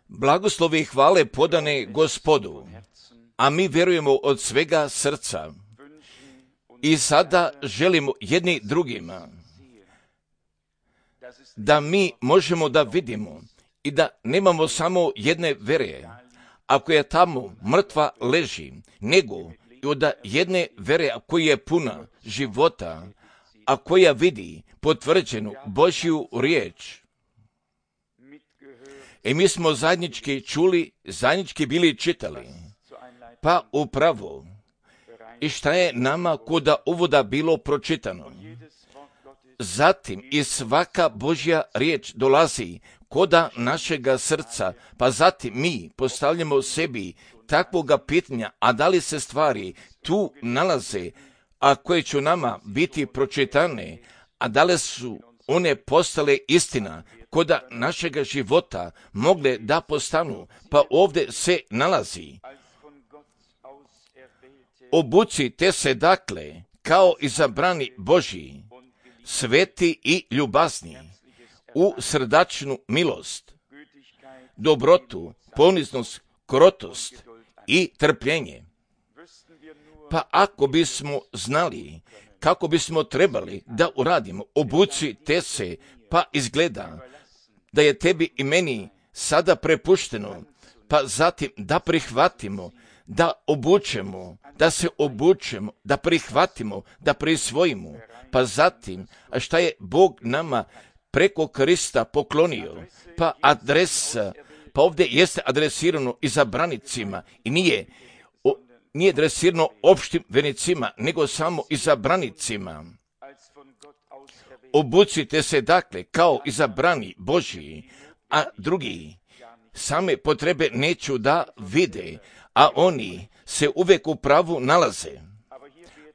Blagoslovi i hvale podane Gospodu, a mi vjerujemo od svega srca i sada želimo jedni drugima da mi možemo da vidimo i da nemamo samo jedne vere, ako je tamo mrtva leži, nego i od jedne vere koja je puna života, a koja vidi potvrđenu Božju riječ. I mi smo zajednički čuli, zajednički bili čitali, pa upravo i šta je nama kod uvoda bilo pročitano. Zatim i svaka Božja riječ dolazi koda našega srca, pa zatim mi postavljamo sebi takvoga pitanja, a da li se stvari tu nalaze, a koje će nama biti pročitane, a da li su one postale istina koda našega života mogle da postanu, pa ovdje se nalazi. Obucite se dakle kao izabrani Božji, sveti i ljubazni, u srdačnu milost, dobrotu, poniznost, krotost i trpljenje. Pa ako bismo znali kako bismo trebali da uradimo, obucite se, pa izgleda da je tebi i meni sada prepušteno, pa zatim da prihvatimo, da obučemo, da se obučemo, da prihvatimo, da prisvojimo, pa zatim, a šta je Bog nama preko Krista poklonio, pa adresa, pa ovdje jeste adresirano izabranicima i nije adresirano opštim vernicima, nego samo izabranicima. Obucite se dakle kao izabrani Božji, a drugi same potrebe neću da vide, a oni se uvijek u pravu nalaze.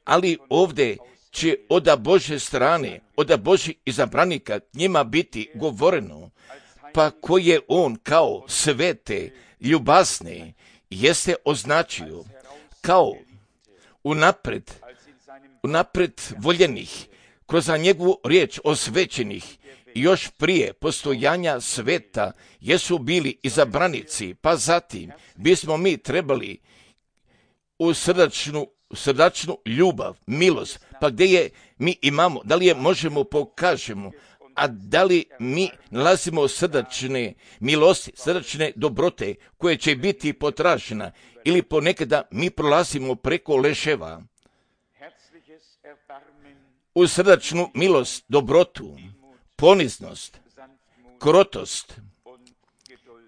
Ali ovdje će od Božje strane, od Božjih izabranika njima biti govoreno, pa koji je on kao svete, ljubazne, jeste označio kao unapred voljenih, kroz njegovu riječ osvećenih, i još prije postojanja sveta jesu bili izabranici, pa zatim bismo mi trebali u srdačnu ljubav, milost, pa gdje je mi imamo, da li je možemo pokažemo, a da li mi nalazimo srdačne milosti, srdačne dobrote koje će biti potražena, ili ponekada mi prolazimo preko leševa u srdačnu milost, dobrotu, poniznost, krotost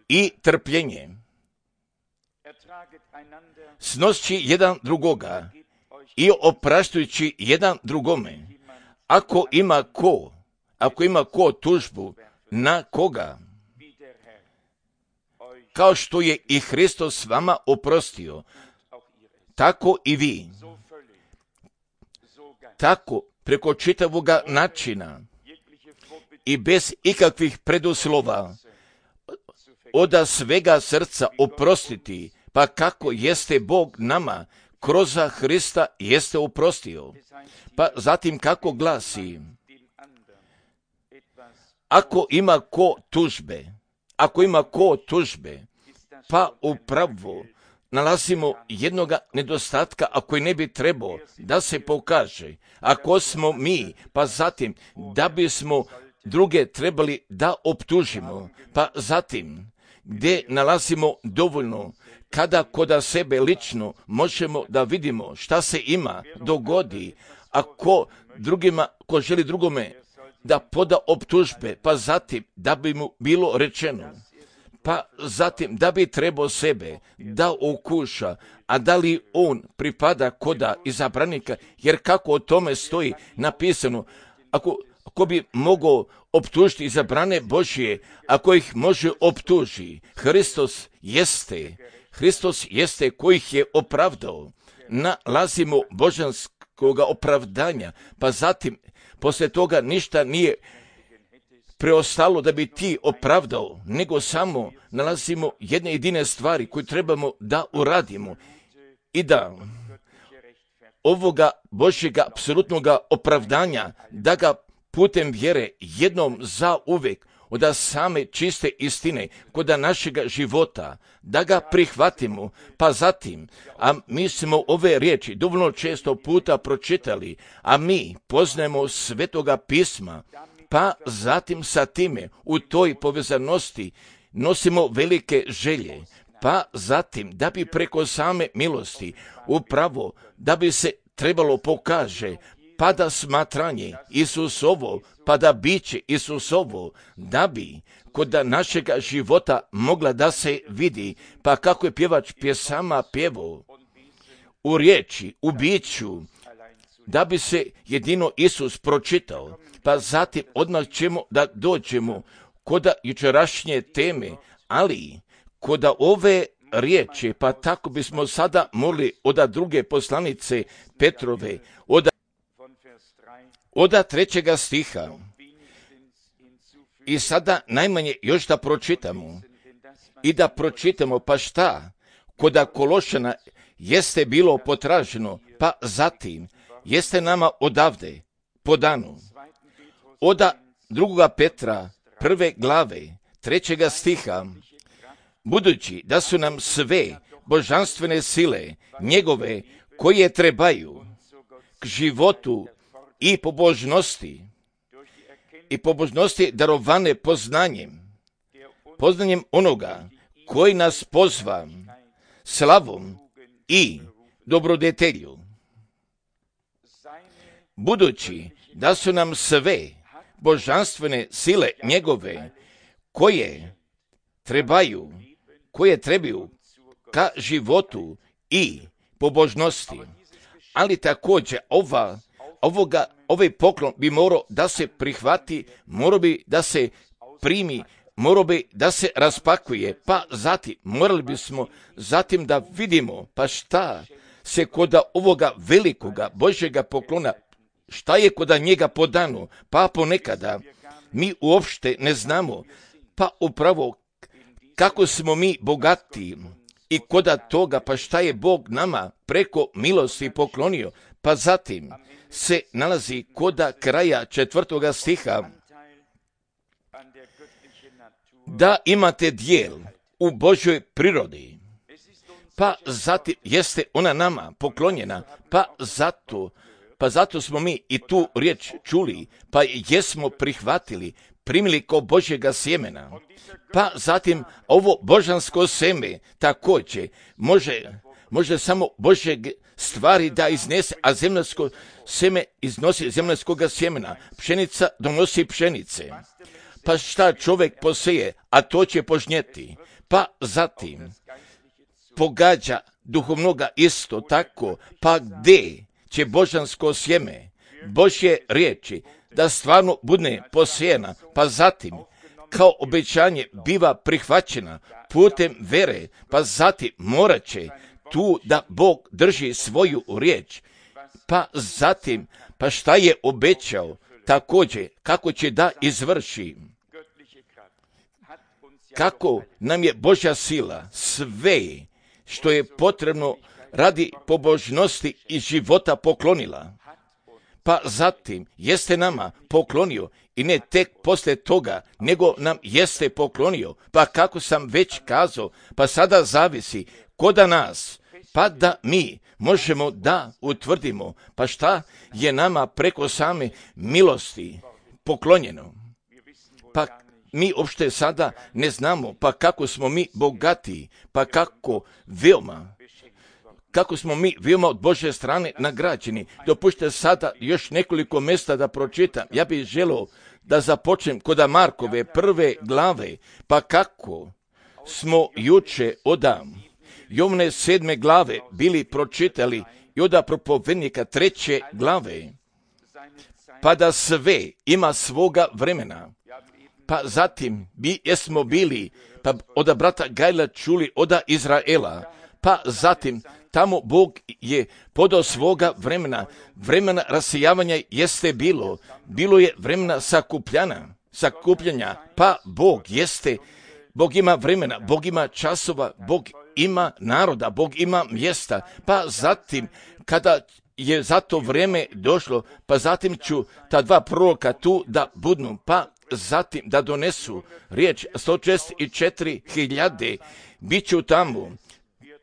i trpljenje. Snošći jedan drugoga i opraštujući jedan drugome. Ako ima ko tužbu na koga, kao što je i Hristos vama oprostio, tako i vi. Tako preko čitavoga načina i bez ikakvih preduslova od svega srca oprostiti, pa kako jeste Bog nama kroz Hrista jeste oprostio. Pa zatim kako glasi, ako ima ko tužbe, pa upravo nalazimo jednoga nedostatka, a koji ne bi trebao da se pokaže. Ako smo mi, pa zatim da bismo druge trebali da optužimo, pa zatim gdje nalazimo dovoljno, kada kod sebe lično možemo da vidimo šta se ima dogodi, ako ko želi drugome da poda optužbe, pa zatim da bi mu bilo rečeno, pa zatim da bi trebao sebe da okuša, a da li on pripada koda izabranika, jer kako o tome stoji napisano, ako bi mogao optužiti izabrane Božje, ako ih može optuži, Hristos jeste koji ih je opravdao. Nalazimo božanskoga opravdanja, pa zatim poslije toga ništa nije preostalo da bi ti opravdao, nego samo nalazimo jedne jedine stvari koje trebamo da uradimo i da ovoga Božjega apsolutnoga opravdanja, da ga putem vjere jednom za uvijek od same čiste istine kod našega života, da ga prihvatimo, pa zatim, a mi smo ove riječi dovoljno često puta pročitali, a mi poznajemo Svetoga pisma, pa zatim sa time u toj povezanosti nosimo velike želje, pa zatim da bi preko same milosti upravo da bi se trebalo pokaže, pa da smatranje Isusovo, pa da biće Isusovo, da bi kod našega života mogla da se vidi, pa kako je pjevač pjesama pjevao, u riječi, u biću, da bi se jedino Isus pročitao, pa zatim odmah ćemo da dođemo kod jučerašnje teme, ali kod ove riječi, pa tako bismo sada molili od druge poslanice Petrove, od 3. stiha. I sada najmanje još da pročitamo i da pročitamo, pa šta kod Kološana jeste bilo potraženo, pa zatim jeste nama odavde podano. Od 2. Petra 1. glave 3. stiha, budući da su nam sve božanstvene sile njegove koje trebaju k životu i pobožnosti darovane poznanjem onoga koji nas pozva slavom i dobrodetelju. Budući da su nam sve božanstvene sile njegove koje trebaju ka životu i pobožnosti, ali također ovaj poklon bi morao da se prihvati, morao bi da se primi, morao bi da se raspakuje, pa zatim morali bismo zatim da vidimo pa šta se kod ovoga velikoga Božjega poklona, šta je kod njega podano, pa ponekada mi uopšte ne znamo, pa upravo kako smo mi bogati i kod toga, pa šta je Bog nama preko milosti poklonio, pa zatim se nalazi kod kraja 4. stiha, da imate dijel u Božjoj prirodi, pa zatim jeste ona nama poklonjena, pa zato smo mi i tu riječ čuli, pa jesmo prihvatili, primili kao Božjega sjemena, pa zatim ovo božansko seme također može samo Božje stvari da iznese, a zemljansko seme iznosi zemljanskoga sjemena, pšenica donosi pšenice. Pa šta čovjek poseje, a to će požnjeti, pa zatim pogađa duhovnoga isto tako, pa gdje će božansko sjeme, Božje riječi, da stvarno bude posijena, pa zatim kao obećanje biva prihvaćena putem vere, pa zatim morat će tu da Bog drži svoju riječ, pa zatim, pa šta je obećao, također kako će da izvrši. Kako nam je Božja sila sve što je potrebno radi pobožnosti i života poklonila, pa zatim jeste nama poklonio i ne tek poslije toga, nego nam jeste poklonio, pa kako sam već kazao, pa sada zavisi kod nas, pa da mi možemo da utvrdimo, pa šta je nama preko same milosti poklonjeno. Pa mi uopšte sada ne znamo, pa kako smo mi bogati, pa kako smo mi veoma od Božje strane nagrađeni. Dopušte sada još nekoliko mjesta da pročitam. Ja bih želio da započnem kod Markove 1. glave, pa kako smo juče od Jovne 7. glave bili pročitali i od propovednika 3. glave, pa da sve ima svoga vremena. Pa zatim jesmo bili, pa od brata Gajla čuli od Izraela, pa zatim tamo Bog je podao svoga vremena rasijavanja jeste bilo je vremena sakupljanja, pa Bog ima vremena, Bog ima časova, Bog ima naroda, Bog ima mjesta, pa zatim kada je za to vrijeme došlo, pa zatim ću ta dva proroka tu da budnu, pa zatim da donesu riječ 164.000 bit ću tamo,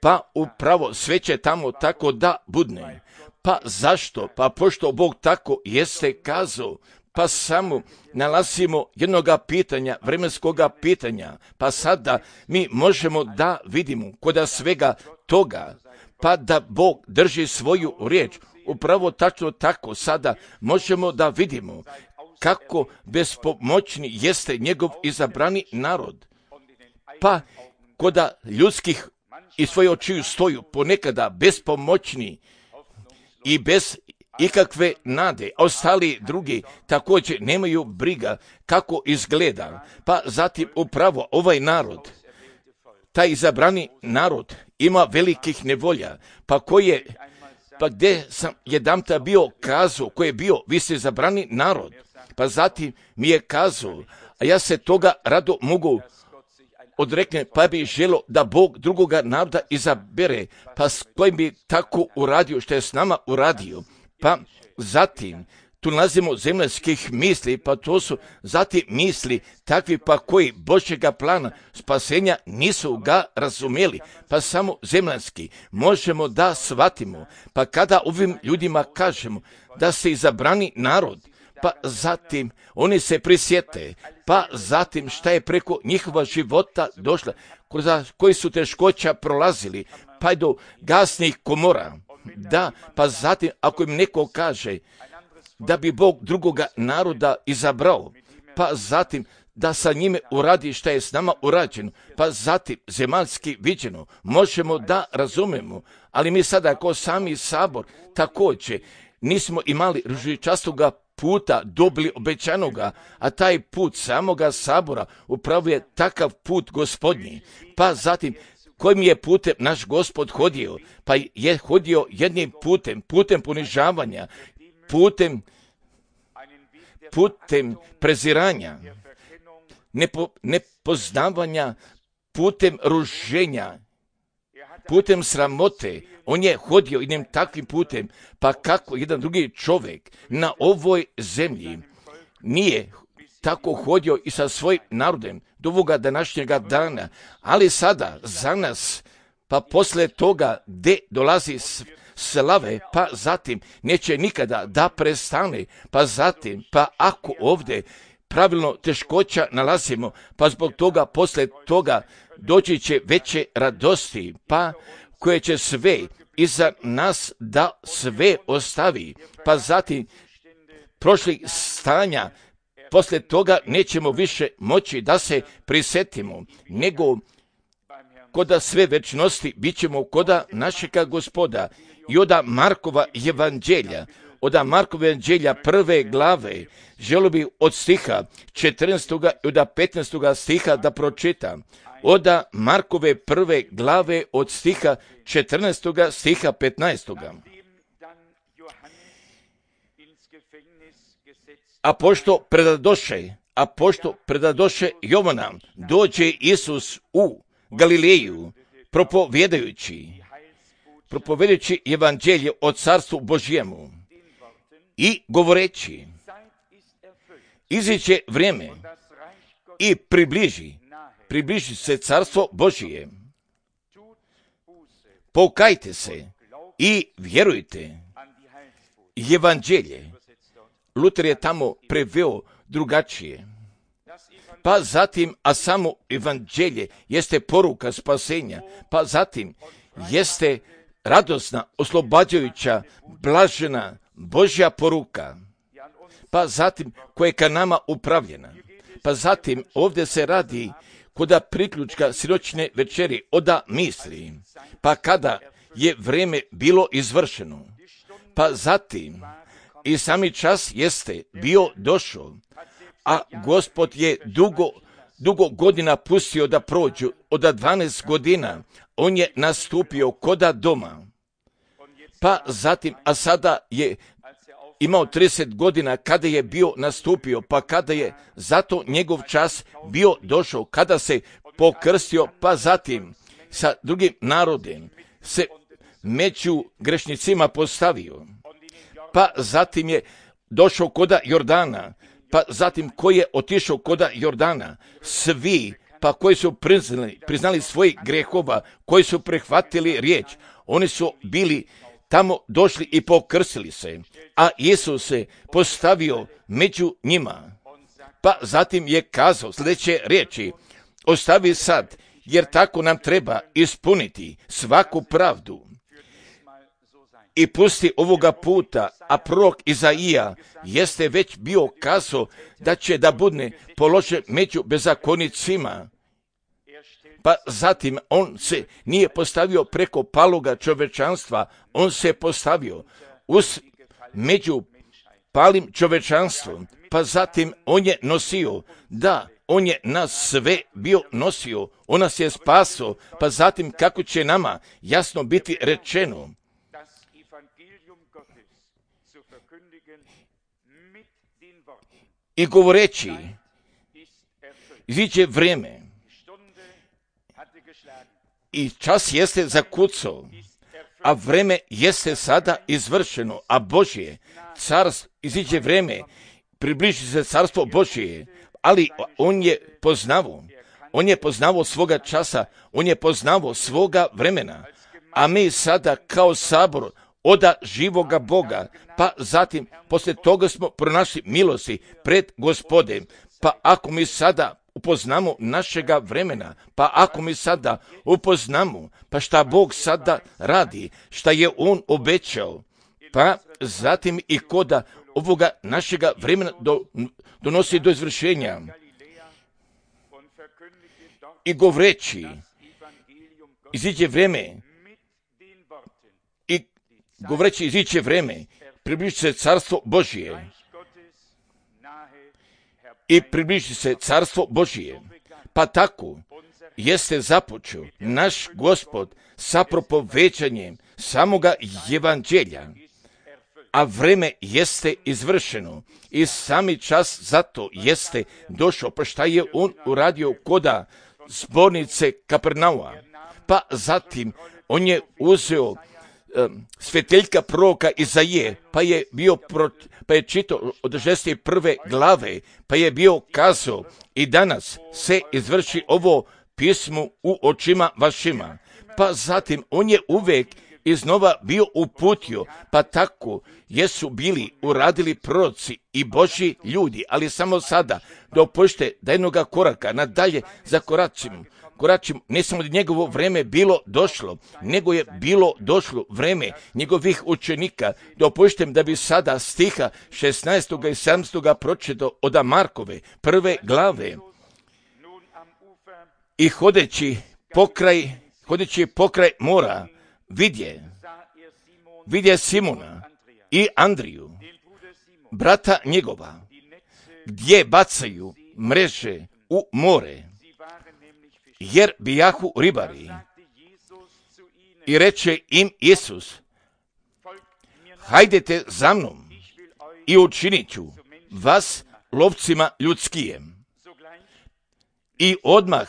pa upravo sve će tamo tako da budne. Pa zašto? Pa pošto Bog tako jeste kazao, pa samo nalazimo jednoga pitanja, vremenskoga pitanja, pa sada mi možemo da vidimo kod svega toga, pa da Bog drži svoju riječ. Upravo tačno tako sada možemo da vidimo kako bespomoćni jeste njegov izabrani narod. Pa kod ljudskih i svoje očiju stoju ponekada bespomoćni i bez ikakve nade, a ostali drugi također nemaju briga kako izgleda. Pa zatim upravo ovaj narod, taj izabrani narod ima velikih nevolja, pa gdje sam jedanput bio kazao, koji je bio, vi ste izabrani narod, pa zatim mi je kazao, a ja se toga rado mogu odrekne, pa bi želo da Bog drugoga naroda izabere, pa s kojim bi tako uradio što je s nama uradio. Pa zatim tu nalazimo zemaljskih misli, pa to su zatim misli takvi pa koji Božjega plana spasenja nisu ga razumjeli, pa samo zemaljski možemo da shvatimo. Pa kada ovim ljudima kažemo da se izabrani narod, pa zatim oni se prisjete, pa zatim šta je preko njihova života došla, koji su teškoća prolazili, pa do gasnih komora. Da, pa zatim ako im neko kaže da bi Bog drugoga naroda izabrao, pa zatim da sa njime uradi šta je s nama urađeno, pa zatim zemaljski viđeno, možemo da razumemo, ali mi sada kao sami sabor također nismo imali ružičastoga puta dobili obećanoga, a taj put samoga sabora upravo je takav put Gospodnji. Pa zatim kojim je putem naš Gospod hodio, pa je hodio jednim putem ponižavanja, putem preziranja, nepoznavanja, putem ruženja, putem sramote. On je hodio jednim takvim putem, pa kako jedan drugi čovjek na ovoj zemlji nije tako hodio i sa svojim narodem do ovoga današnjega dana, ali sada za nas, pa posle toga gdje dolazi slave, pa zatim neće nikada da prestane, pa zatim, pa ako ovdje pravilno teškoća nalazimo, pa zbog toga posle toga doći će veće radosti, pa koje će sve iza nas da sve ostavi, pa zatim prošlih stanja, posle toga nećemo više moći da se prisetimo, nego koda sve večnosti bit ćemo koda našega Gospoda. I oda Markova evanđelja, prve glave, želio bi od stiha 14. i od 15. stiha da pročitam. Oda Markove prve glave od stiha 14. stiha 15. A pošto predadoše Jovana, dođe Isus u Galileju, propovedajući evanđelje o carstvu Božjemu i govoreći, iziće vrijeme i približi se carstvo Božije. Pokajte se i vjerujte evanđelje. Luter je tamo preveo drugačije. Pa zatim, a samo evanđelje jeste poruka spasenja, pa zatim jeste radosna, oslobađajuća, blažena Božja poruka, pa zatim koja je ka nama upravljena. Pa zatim ovdje se radi koda priključka siročne večeri oda misli, pa kada je vrijeme bilo izvršeno, pa zatim i sami čas jeste bio došao, a Gospod je dugo godina pustio da prođu, od 12 godina on je nastupio koda doma, pa zatim, a sada je imao 30 godina kada je bio nastupio, pa kada je zato njegov čas bio došao, kada se pokrstio, pa zatim sa drugim narodem se među grešnicima postavio, pa zatim je došao koda Jordana, pa zatim koji je otišao koda Jordana, svi pa koji su priznali svojih grehova, koji su prihvatili riječ, oni su bili tamo došli i pokrsili se, a Isus se postavio među njima. Pa zatim je kazao sljedeće riječi: ostavi sad, jer tako nam treba ispuniti svaku pravdu. I pusti ovoga puta, a prorok Izaija jeste već bio kazao da će da bude položen među bezakonicima. Pa zatim on se nije postavio preko paloga čovečanstva, on se postavio među palim čovečanstvom, pa zatim on je nosio, on je nas sve bio nosio, on nas je spasao, pa zatim kako će nama jasno biti rečeno, i govoreći, iziđe vrijeme i čas jeste zakucao, a vrijeme jeste sada izvršeno, a Božje carstvo, iziđe vrijeme, približi se carstvo Božje, ali on je poznavao svoga časa, on je poznavao svoga vremena, a mi sada kao sabor oda živoga Boga, pa zatim poslije toga smo pronašli milosti pred Gospodem. Pa ako mi sada upoznamo našega vremena, pa ako mi sada upoznamo, pa šta Bog sada radi, šta je On obećao, pa zatim i koda ovoga našega vremena donosi do izvršenja. I govoreći, iziđe vrijeme, iziće vrijeme, približi se carstvo Božije. I približi se carstvo Božije. Pa tako jeste započeo naš Gospod sa propovećanjem samoga evanđelja, a vreme jeste izvršeno i sami čas zato jeste došao. Pa šta je on uradio koda zbornice Kapernauma? Pa zatim on je uzeo sveteljka proroka Izaije, pa je čitao od 61. glave, pa je bio kazao: i danas se izvrši ovo pismo u očima vašima. Pa zatim on je uvijek iznova bio uputio, pa tako jesu bili uradili proroci i Božji ljudi, ali samo sada dopušte da jednoga koraka nadalje zakoračimo, ne samo da njegovo vreme bilo došlo, nego je bilo došlo vreme njegovih učenika. Dopuštem da bi sada stiha 16. i 17. pročitao od Markove 1. glave. I hodeći pokraj mora, vidje Simona i Andriju, brata njegova, gdje bacaju mreže u more, jer bijahu ribari. I reče im Isus: hajdete za mnom i učinit ću vas lovcima ljudskijem. I odmah,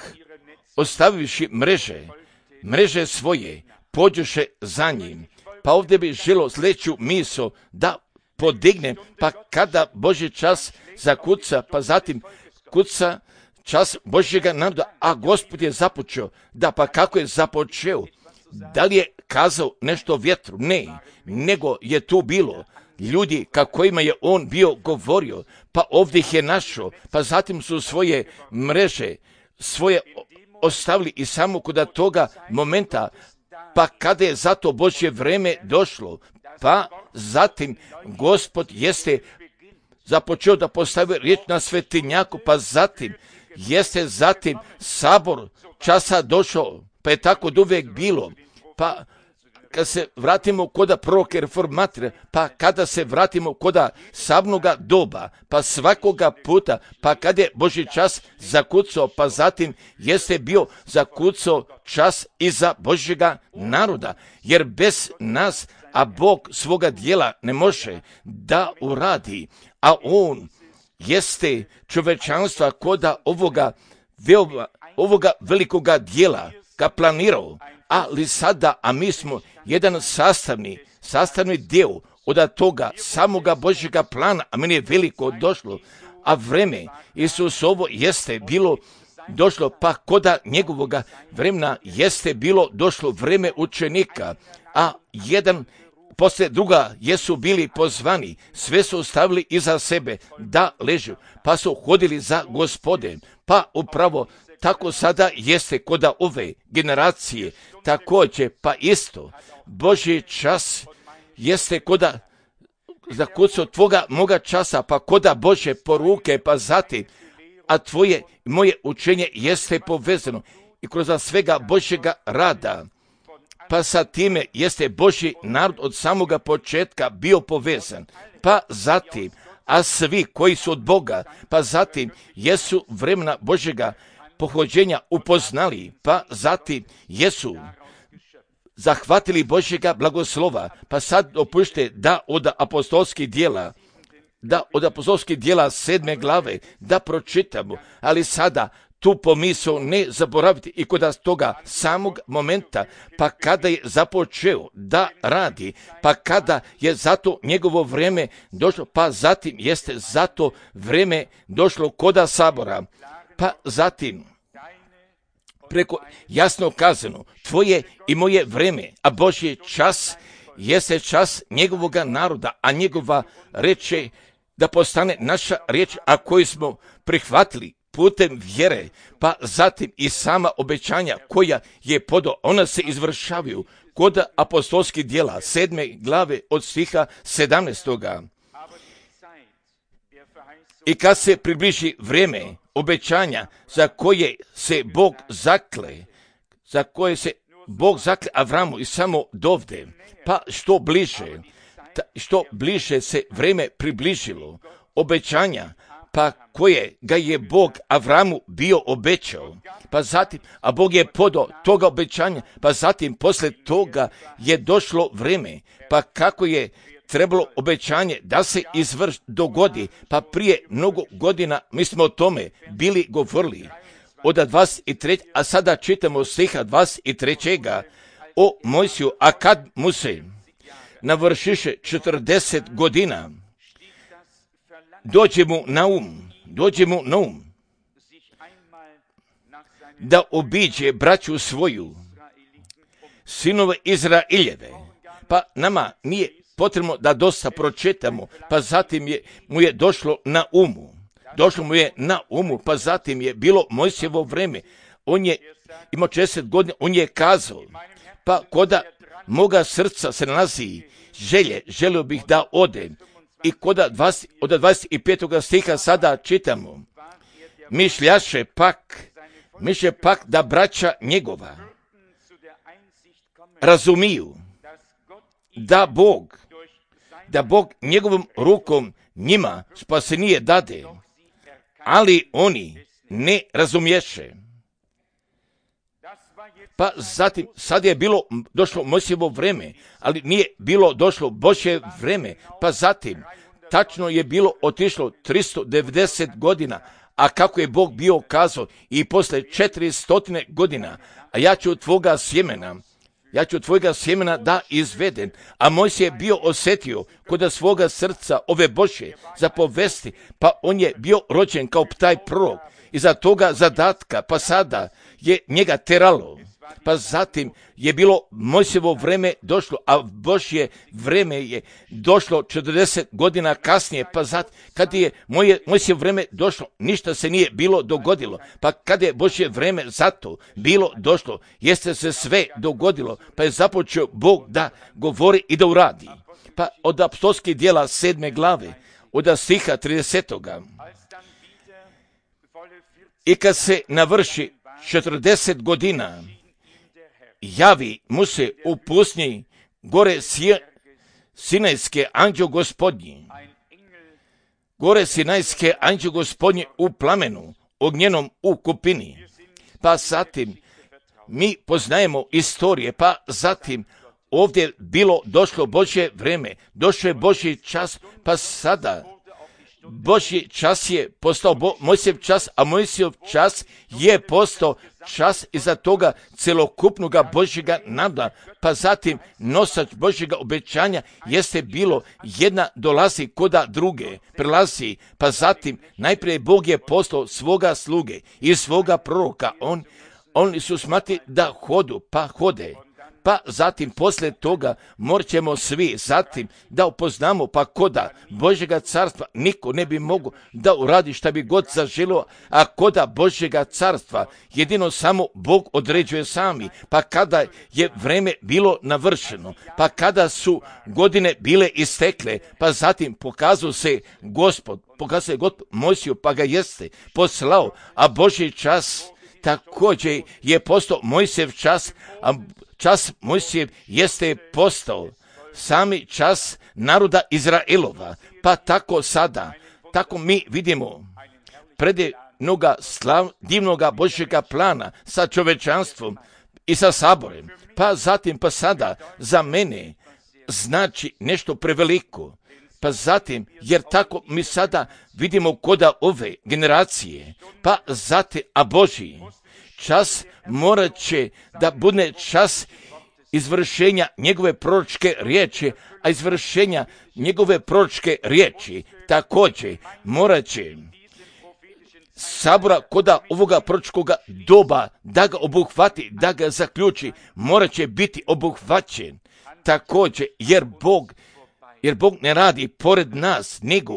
ostavivši mreže svoje, pođoše za njim. Pa ovdje bi želo sljedeću misao da podignem, pa kada Božji čas zakuca, pa zatim kuca čas Božjega naroda, a Gospod je započeo. Da, pa kako je započeo? Da li je kazao nešto vjetru? Ne, nego je tu bilo ljudi kojima je on bio govorio, pa ovdje ih je našao, pa zatim su svoje mreže ostavili i samo kod toga momenta, pa kada je zato Božje vreme došlo, pa zatim Gospod jeste započeo da postavi riječ na svetinjaku, pa zatim sabor časa došao, pa je tako uvijek bilo. Pa kad se vratimo koda proroke reformatore, pa kada se vratimo koda sabnoga doba, pa svakoga puta, pa kada je Božji čas zakucao, pa zatim jeste bio zakucao čas i za Božjega naroda, jer bez nas, a Bog svoga dijela ne može da uradi, a On jeste čovečanstva koda ovoga velikoga dijela ga planirao, ali sada, a mi smo jedan sastavni dio od toga samoga Božjega plana, a meni je veliko došlo, a vreme Isusovo jeste bilo došlo, pa koda njegovoga vremena jeste bilo došlo vreme učenika, a jedan poslije druga jesu bili pozvani, sve su ostavili iza sebe da ležu, pa su hodili za Gospodem. Pa upravo tako sada jeste koda ove generacije, također pa isto Božji čas jeste koda za kucu tvoga moga časa, pa koda Božje poruke, pa zatim, a tvoje i moje učenje jeste povezano i kroz svega Božjega rada. Pa sa time jeste Božji narod od samoga početka bio povezan. Pa zatim, a svi koji su od Boga, pa zatim jesu vremena Božjega pohođenja upoznali, pa zatim jesu zahvatili Božjega blagoslova. Pa sad dopušte da od apostolskih dijela 7. glave da pročitamo, ali sada tu pomisao ne zaboraviti i kod toga samog momenta, pa kada je započeo da radi, pa kada je zato njegovo vrijeme došlo, pa zatim jeste zato vrijeme došlo koda sabora, pa zatim preko jasno kazano, tvoje i moje vrijeme, a Božji čas jeste čas njegovoga naroda, a njegova reč je da postane naša riječ, a koju smo prihvatili putem vjere, pa zatim i sama obećanja koja je podao, ona se izvršavaju kod apostolskih dijela 7. glave od stiha 17. I kad se približi vrijeme obećanja za koje se Bog zakle Avramu i samo dovde, pa što bliže se vrijeme približilo obećanja, pa koje ga je Bog Avramu bio obećao, pa zatim, a Bog je podao toga obećanja, pa zatim posle toga je došlo vrijeme, pa kako je trebalo obećanje da se dogodi, pa prije mnogo godina mi smo o tome bili govorili od 23. a sada čitamo stiha 23. o Mojsiju, a kad mu se navršiše 40 godina, dođe mu na um da obiđe braću svoju, sinove Izraeljeve. Pa nama nije potrebno da dosta pročitamo, pa zatim mu je došlo na umu, pa zatim je bilo Mojsijevo vrijeme, on je imao 40 godina, on je kazao, pa koda moga srca se nalazi želio bih da odem. I od 25. stiha sada čitamo, mišljaše pak da braća njegova razumiju da Bog njegovom rukom njima spasenije dade, ali oni ne razumješe. Pa zatim, sad je došlo Mojsijevo vrijeme, ali nije bilo došlo Božje vrijeme, pa zatim, tačno je bilo otišlo 390 godina, a kako je Bog bio kazao i posle 400 godina, a ja ću tvojega sjemena da izvedem, a Mojsije je bio osjetio kod svoga srca ove Božje zapovesti, pa on je bio rođen kao taj prorok, iza toga zadatka, pa sada je njega teralo. Pa zatim je bilo Mojsijevo vrijeme došlo, a Božje vrijeme je došlo 40 godina kasnije, pa zatim kad je Mojsijevo vrijeme došlo, ništa se nije bilo dogodilo, pa kad je Božje vrijeme zato bilo došlo, jeste se sve dogodilo, pa je započeo Bog da govori i da uradi. Pa od apostolskih dijela 7. glave, od stiha 30. I kad se navrši 40 godina, javi mu se u pustinji gore Sinajske anđeo Gospodnji u plamenu ognjenom u kupini. Pa zatim mi poznajemo istorije, pa zatim ovdje bilo došlo Božje vrijeme, došlo je Božji čas, pa sada Božji čas je postao Mojsijev čas, a Mojsijev čas je postao čas iza toga celokupnoga Božjega naroda. Pa zatim nosač Božjega obećanja jeste bilo jedna dolazi koda druge, prelazi. Pa zatim najprije Bog je postao svoga sluge i svoga proroka. Oni su smatili da hodu, pa hode. Pa zatim poslije toga morat ćemo svi zatim da upoznamo pa koda Božjega carstva niko ne bi mogao da uradi šta bi god zaželio, a koda Božjega carstva jedino samo Bog određuje sami. Pa kada je vreme bilo navršeno, pa kada su godine bile istekle, pa zatim pokazao se Gospod Mojsiju, pa ga jeste poslao, a Božji čas također je postao Mojsijev čas, a čas Mojsijev jeste postao sami čas naroda Izraelova. Pa tako sada, tako mi vidimo predivnoga divnoga Božjega plana sa čovečanstvom i sa saborem. Pa zatim, pa sada za mene znači nešto preveliko. Pa zatim, jer tako mi sada vidimo koda ove generacije, pa zatim, a Božji čas morat će da bude čas izvršenja njegove proročke riječi, a izvršenja njegove proročke riječi također morat će sabora koda ovoga proročkoga doba da ga obuhvati, da ga zaključi, morat će biti obuhvaćen također, jer Bog ne radi pored nas, nego,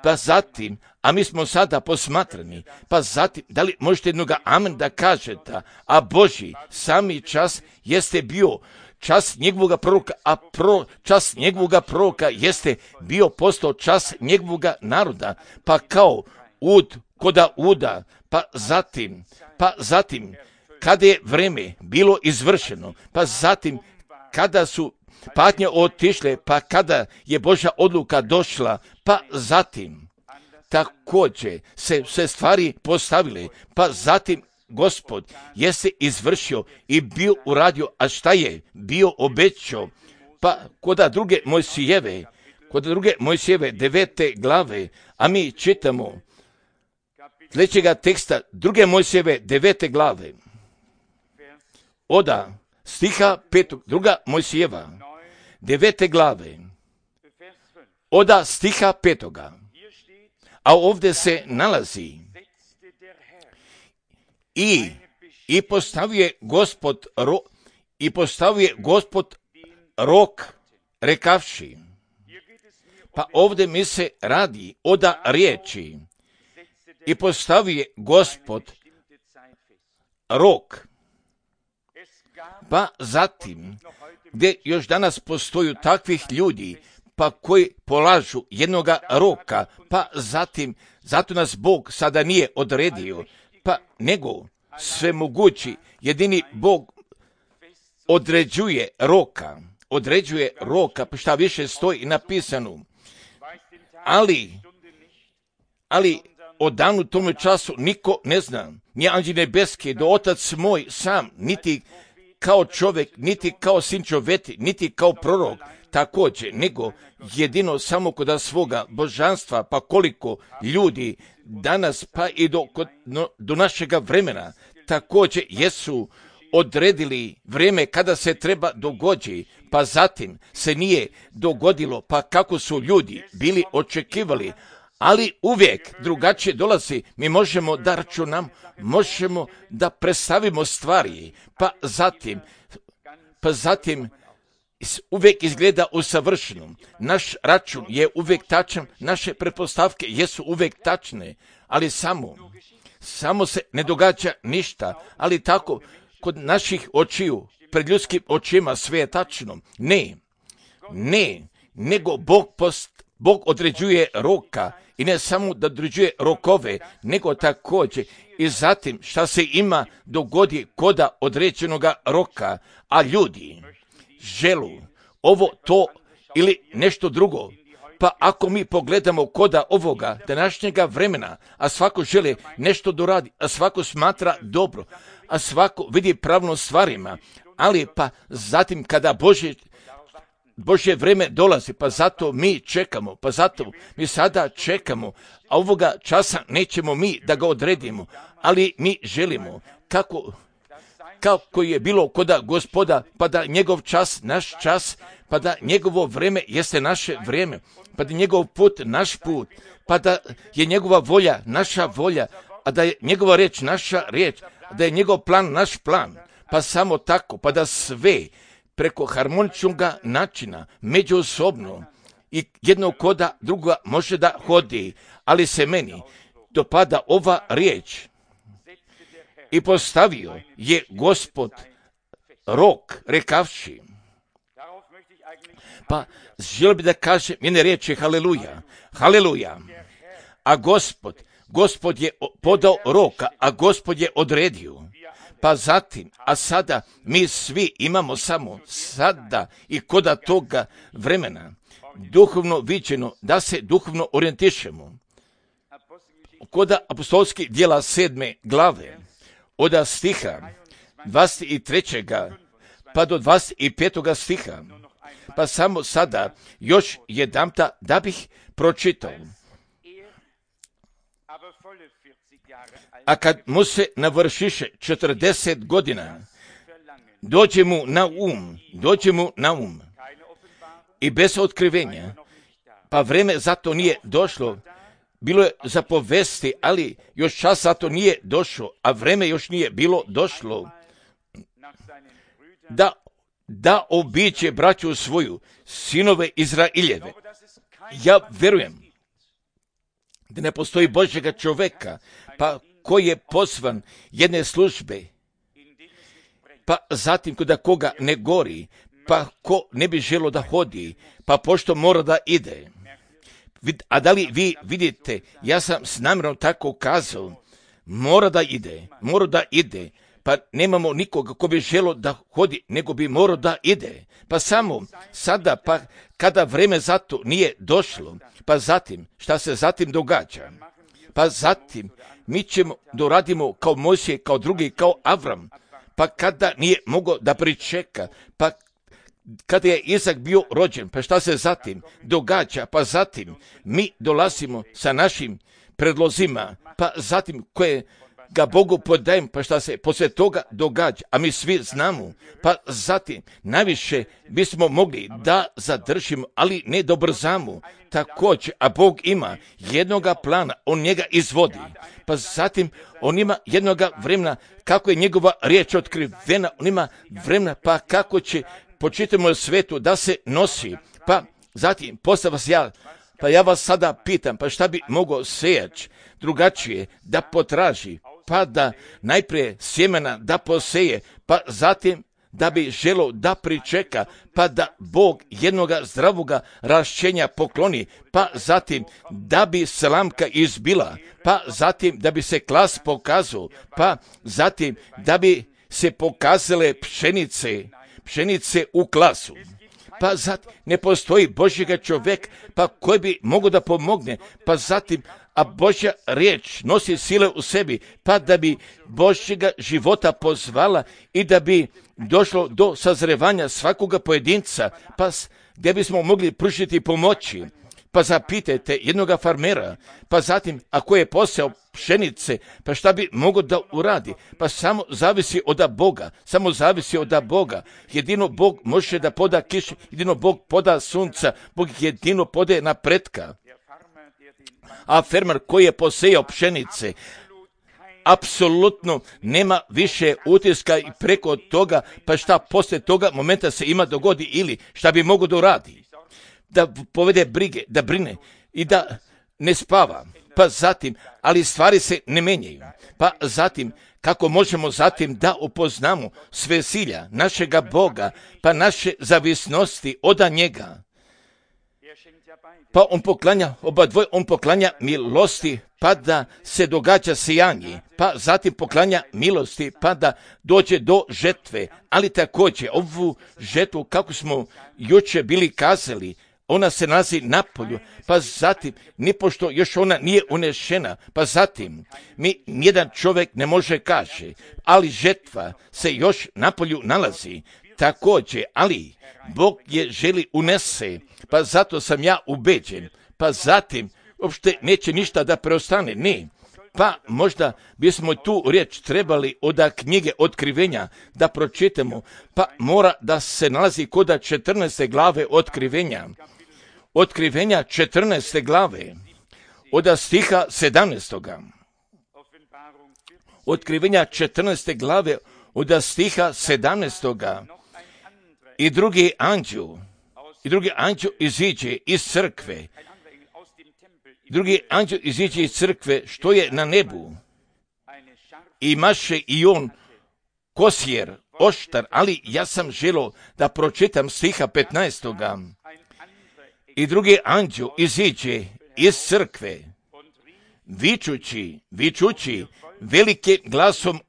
pa zatim, a mi smo sada posmatrani, pa zatim, da li možete jednoga amen da kažete, a Božji sami čas jeste bio čas njegovoga proroka, a čas njegovoga proroka jeste bio postao čas njegovoga naroda, pa kao ud koda uda, pa zatim, kada je vreme bilo izvršeno, pa zatim, kada su patnje otišle, pa kada je Božja odluka došla, pa zatim također se stvari postavile, pa zatim Gospod jeste izvršio i bio uradio, a šta je bio obećao, pa koda druge Mojsijeve 9. glave, a mi čitamo sljedećega teksta druge Mojsijeve 9. glave, oda stiha 5. druga Mojsijeva 9. glave, oda stiha 5. A ovdje se nalazi i postavio je Gospod rok rekavši. Pa ovdje mi se radi oda riječi i postavio je Gospod rok. Pa zatim, gdje još danas postoju takvih ljudi, pa koji polažu jednoga roka, pa zatim, zato nas Bog sada nije odredio, pa nego svemogući, jedini Bog određuje roka, pa šta više stoji napisano. Ali o danu tome času niko ne zna, ni anđeli nebeski, do Otac moj sam, niti kao čovjek, niti kao sin čovjeti, niti kao prorok, također, nego jedino samo kod svoga božanstva, pa koliko ljudi danas, pa i do našega vremena, također jesu odredili vrijeme kada se treba dogoditi, pa zatim se nije dogodilo, pa kako su ljudi bili očekivali, ali uvijek drugačije dolazi, mi možemo da računamo, možemo da predstavimo stvari, pa zatim uvijek izgleda usavršeno. Naš račun je uvijek tačan, naše pretpostavke jesu uvijek tačne, ali samo se ne događa ništa, ali tako kod naših očiju, pred ljudskim očima sve je tačno. Ne, nego Bog određuje roka i ne samo da određuje rokove, nego također i zatim šta se ima dogodi koda određenoga roka, a ljudi želu ovo, to ili nešto drugo. Pa ako mi pogledamo koda ovoga današnjega vremena, a svako želi nešto doradi, a svako smatra dobro, a svako vidi pravno stvarima, ali pa zatim kada Božji Božje vreme dolazi, pa zato mi čekamo, pa zato mi sada čekamo, a ovoga časa nećemo mi da ga odredimo, ali mi želimo kako je bilo koda Gospoda, pa da njegov čas, naš čas, pa da njegovo vreme jeste naše vrijeme, pa da njegov put, naš put, pa da je njegova volja, naša volja, a da je njegova riječ, naša riječ, da je njegov plan, naš plan, pa samo tako, pa da sve preko harmoničnog načina, međusobno i jednog koda druga može da hodi, ali se meni dopada ova riječ. I postavio je Gospod rok, rekavši. Pa želio bi da kažem jedne riječi, haleluja, haleluja. A Gospod je podao roka, a Gospod je odredio. Pa zatim, a sada mi svi imamo samo sada i koda toga vremena duhovno viđeno da se duhovno orijentišemo. Koda apostolskih djela 7. glave, od stiha 23. pa do 25. stiha, pa samo sada još jedanputa da bih pročitao. A kad mu se navršiše 40 godina, dođe mu na um i bez otkrivenja, pa vreme zato nije došlo, bilo je za povesti, ali još čas zato nije došlo, a vreme još nije bilo došlo, da obiđe braću svoju, sinove Izraeljeve. Ja verujem da ne postoji Božjega čoveka, pa koji je pozvan jedne službe, pa zatim kod koga ne gori, pa ko ne bi želo da hodi, pa pošto mora da ide. A da li vi vidite, ja sam s namjerom tako kazao, mora da ide, pa nemamo nikoga ko bi želo da hodi, nego bi morao da ide. Pa samo sada, pa kada vreme zato nije došlo, pa zatim, šta se zatim događa? Pa zatim, mi ćemo doradimo kao Mojsije, kao drugi, kao Avram, pa kada nije mogao da pričeka, pa kada je Izak bio rođen, pa šta se zatim događa? Pa zatim mi dolazimo sa našim predlozima, pa zatim koje ga Bogu podajem, pa šta se poslije toga događa, a mi svi znamo, pa zatim najviše bismo mogli da zadržimo, ali ne da brzamo, također, a Bog ima jednoga plana, on njega izvodi, pa zatim on ima jednoga vremena, kako je njegova riječ otkrivena, on ima vremena, pa kako će po čitavom svetu da se nosi, pa zatim posle vas ja vas sada pitam, pa šta bi mogao sejač drugačije da potraži, pa da najprije sjemena da poseje, pa zatim da bi želo da pričeka, pa da Bog jednoga zdravoga rašćenja pokloni, pa zatim da bi slamka izbila, pa zatim da bi se klas pokazao, pa zatim da bi se pokazale pšenice u klasu. Pa zatim ne postoji Božjega čovjek, pa koji bi mogao da pomogne, pa zatim a Božja riječ nosi sile u sebi, pa da bi Božjega života pozvala i da bi došlo do sazrevanja svakoga pojedinca, pa gdje bismo mogli pružiti pomoći. Pa zapitajte jednoga farmera, pa zatim ako je poseo pšenice, pa šta bi mogao da uradi? Pa samo zavisi od Boga, jedino Bog može da poda kišu, jedino Bog poda sunca, Bog jedino podaje napretka. A fermer koji je posejao pšenice, apsolutno nema više utiska i preko toga, pa šta poslije toga momenta se ima dogodi ili šta bi mogao da uradi? Da povede brige, da brine i da ne spava. Pa zatim, ali stvari se ne menjaju. Pa zatim, kako možemo zatim da upoznamo sve silja našega Boga, pa naše zavisnosti od njega. Pa on poklanja, on poklanja milosti, pa da se događa sijanje, pa zatim poklanja milosti, pa da dođe do žetve, ali također ovu žetvu, kako smo juče bili kazali, ona se nalazi na polju, pa zatim, nipošto još ona nije unešena, pa zatim, nijedan čovjek ne može kaže, ali žetva se još na polju nalazi, također, ali Bog je želi unese, pa zato sam ja ubeđen, pa zatim uopšte neće ništa da preostane, ne. Pa možda bismo tu riječ trebali od knjige Otkrivenja da pročitamo, pa mora da se nalazi kod 14. glave Otkrivenja. Otkrivenja 14. glave, od stiha 17. Otkrivenja 14. glave, od stiha 17. I drugi anđel iziđe iz crkve. Drugi anđel iziđe iz crkve što je na nebu. I maše i on kosjer, oštar, ali ja sam želio da pročitam stiha 15. I drugi anđel iziđe iz crkve, vičući velike glasom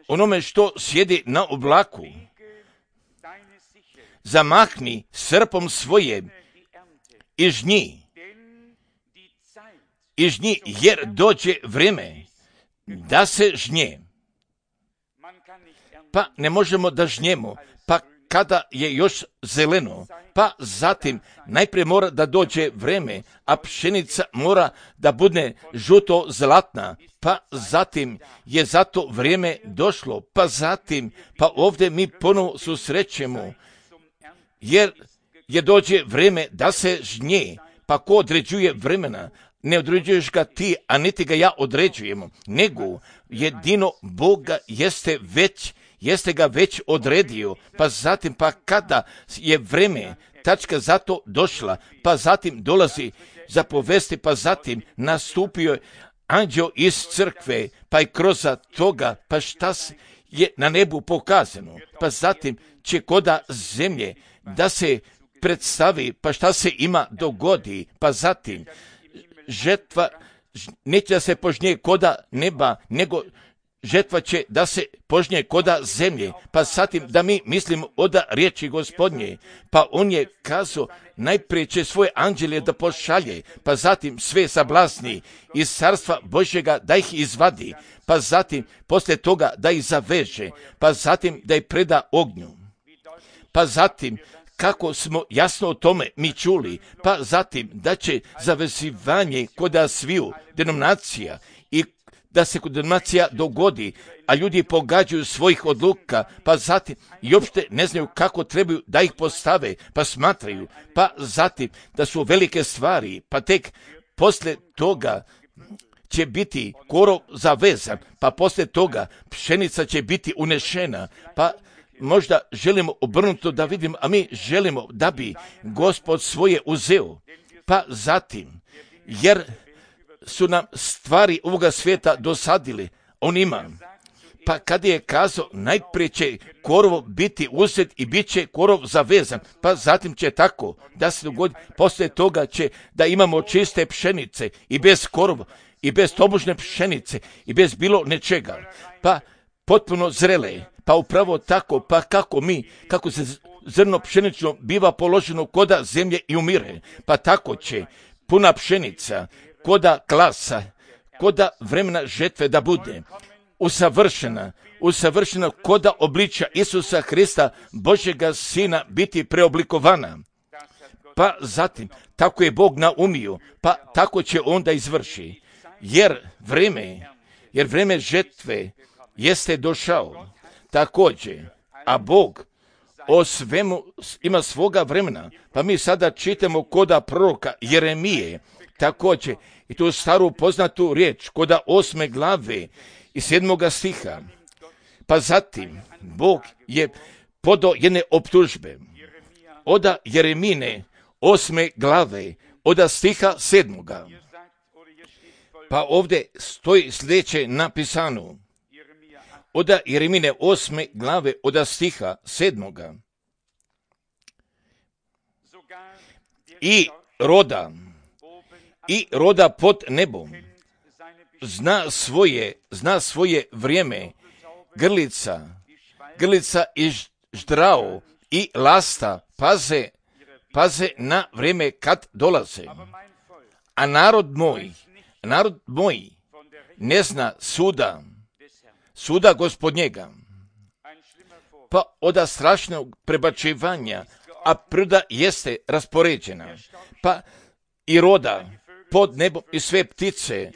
onome što sjedi na oblaku. Zamahni srpom svoje i žnji, jer dođe vreme da se žnje. Pa ne možemo da žnjemo, pa kada je još zeleno, pa zatim najprije mora da dođe vreme, a pšenica mora da bude žuto zlatna, pa zatim je zato vrijeme došlo, pa ovdje mi ponovo susrećemo, jer je dođe vrijeme da se žnje, pa ko određuje vremena? Ne određuješ ga ti, a niti ga ja određujemo, nego jedino Boga jeste ga već odredio, pa zatim, pa kada je vreme, tačka za to došla, pa zatim dolazi za povesti, pa zatim nastupio anđeo iz crkve, pa i kroz toga, pa šta je na nebu pokazano, pa zatim će koda zemlje da se predstavi, pa šta se ima dogodi, pa zatim žetva neće da se požnje koda neba, nego žetva će da se požnje koda zemlje, pa zatim da mi mislimo od riječi Gospodnje, pa on je kazao najprije će svoje anđelje da pošalje, pa zatim sve sablasni iz carstva Božjega da ih izvadi, pa zatim poslije toga da ih zaveže, pa zatim da ih preda ognju, pa zatim kako smo jasno o tome mi čuli, pa zatim da će zavezivanje koda sviju denominacija i da se kod denominacija dogodi, a ljudi pogađaju svojih odluka, pa zatim i uopšte ne znaju kako trebaju da ih postave, pa smatraju, pa zatim da su velike stvari, pa tek poslije toga će biti korov zavezan, pa poslije toga pšenica će biti unešena, pa možda želimo obrnuto da vidimo, a mi želimo da bi Gospod svoje uzeo, pa zatim, jer su nam stvari ovoga svijeta dosadili, on ima, pa kad je kazao, najprije će korov biti uzet i bit će korov zavezan, pa zatim će tako da se dogodi, poslije toga će da imamo čiste pšenice i bez korova, i bez tobožne pšenice, i bez bilo nečega, pa potpuno zrele, pa upravo tako, pa kako se zrno pšenično biva položeno koda zemlje i umire, pa tako će puna pšenica, koda klasa, koda vremena žetve da bude usavršena koda obličja Isusa Hrista, Božjega Sina, biti preoblikovana. Pa zatim, tako je Bog naumio, pa tako će onda izvrši. Jer vreme žetve jeste došao također, a Bog o svemu ima svoga vremena. Pa mi sada čitamo koda proroka Jeremije, također, i tu staru poznatu riječ, koda 8. glave i 7. stiha. Pa zatim, Bog je podao jedne optužbe. Oda Jeremine 8. glave, oda stiha 7. Pa ovdje stoji sljedeće napisano. Oda Jeremine 8. glave, oda stiha 7. I roda pod nebom zna svoje vrijeme, grlica i ždrao i lasta paze na vrijeme kad dolaze. A narod moj ne zna suda Gospodnjega. pa od strašnog prebačivanja, a priroda jeste raspoređena, pa i roda pod nebom i sve ptice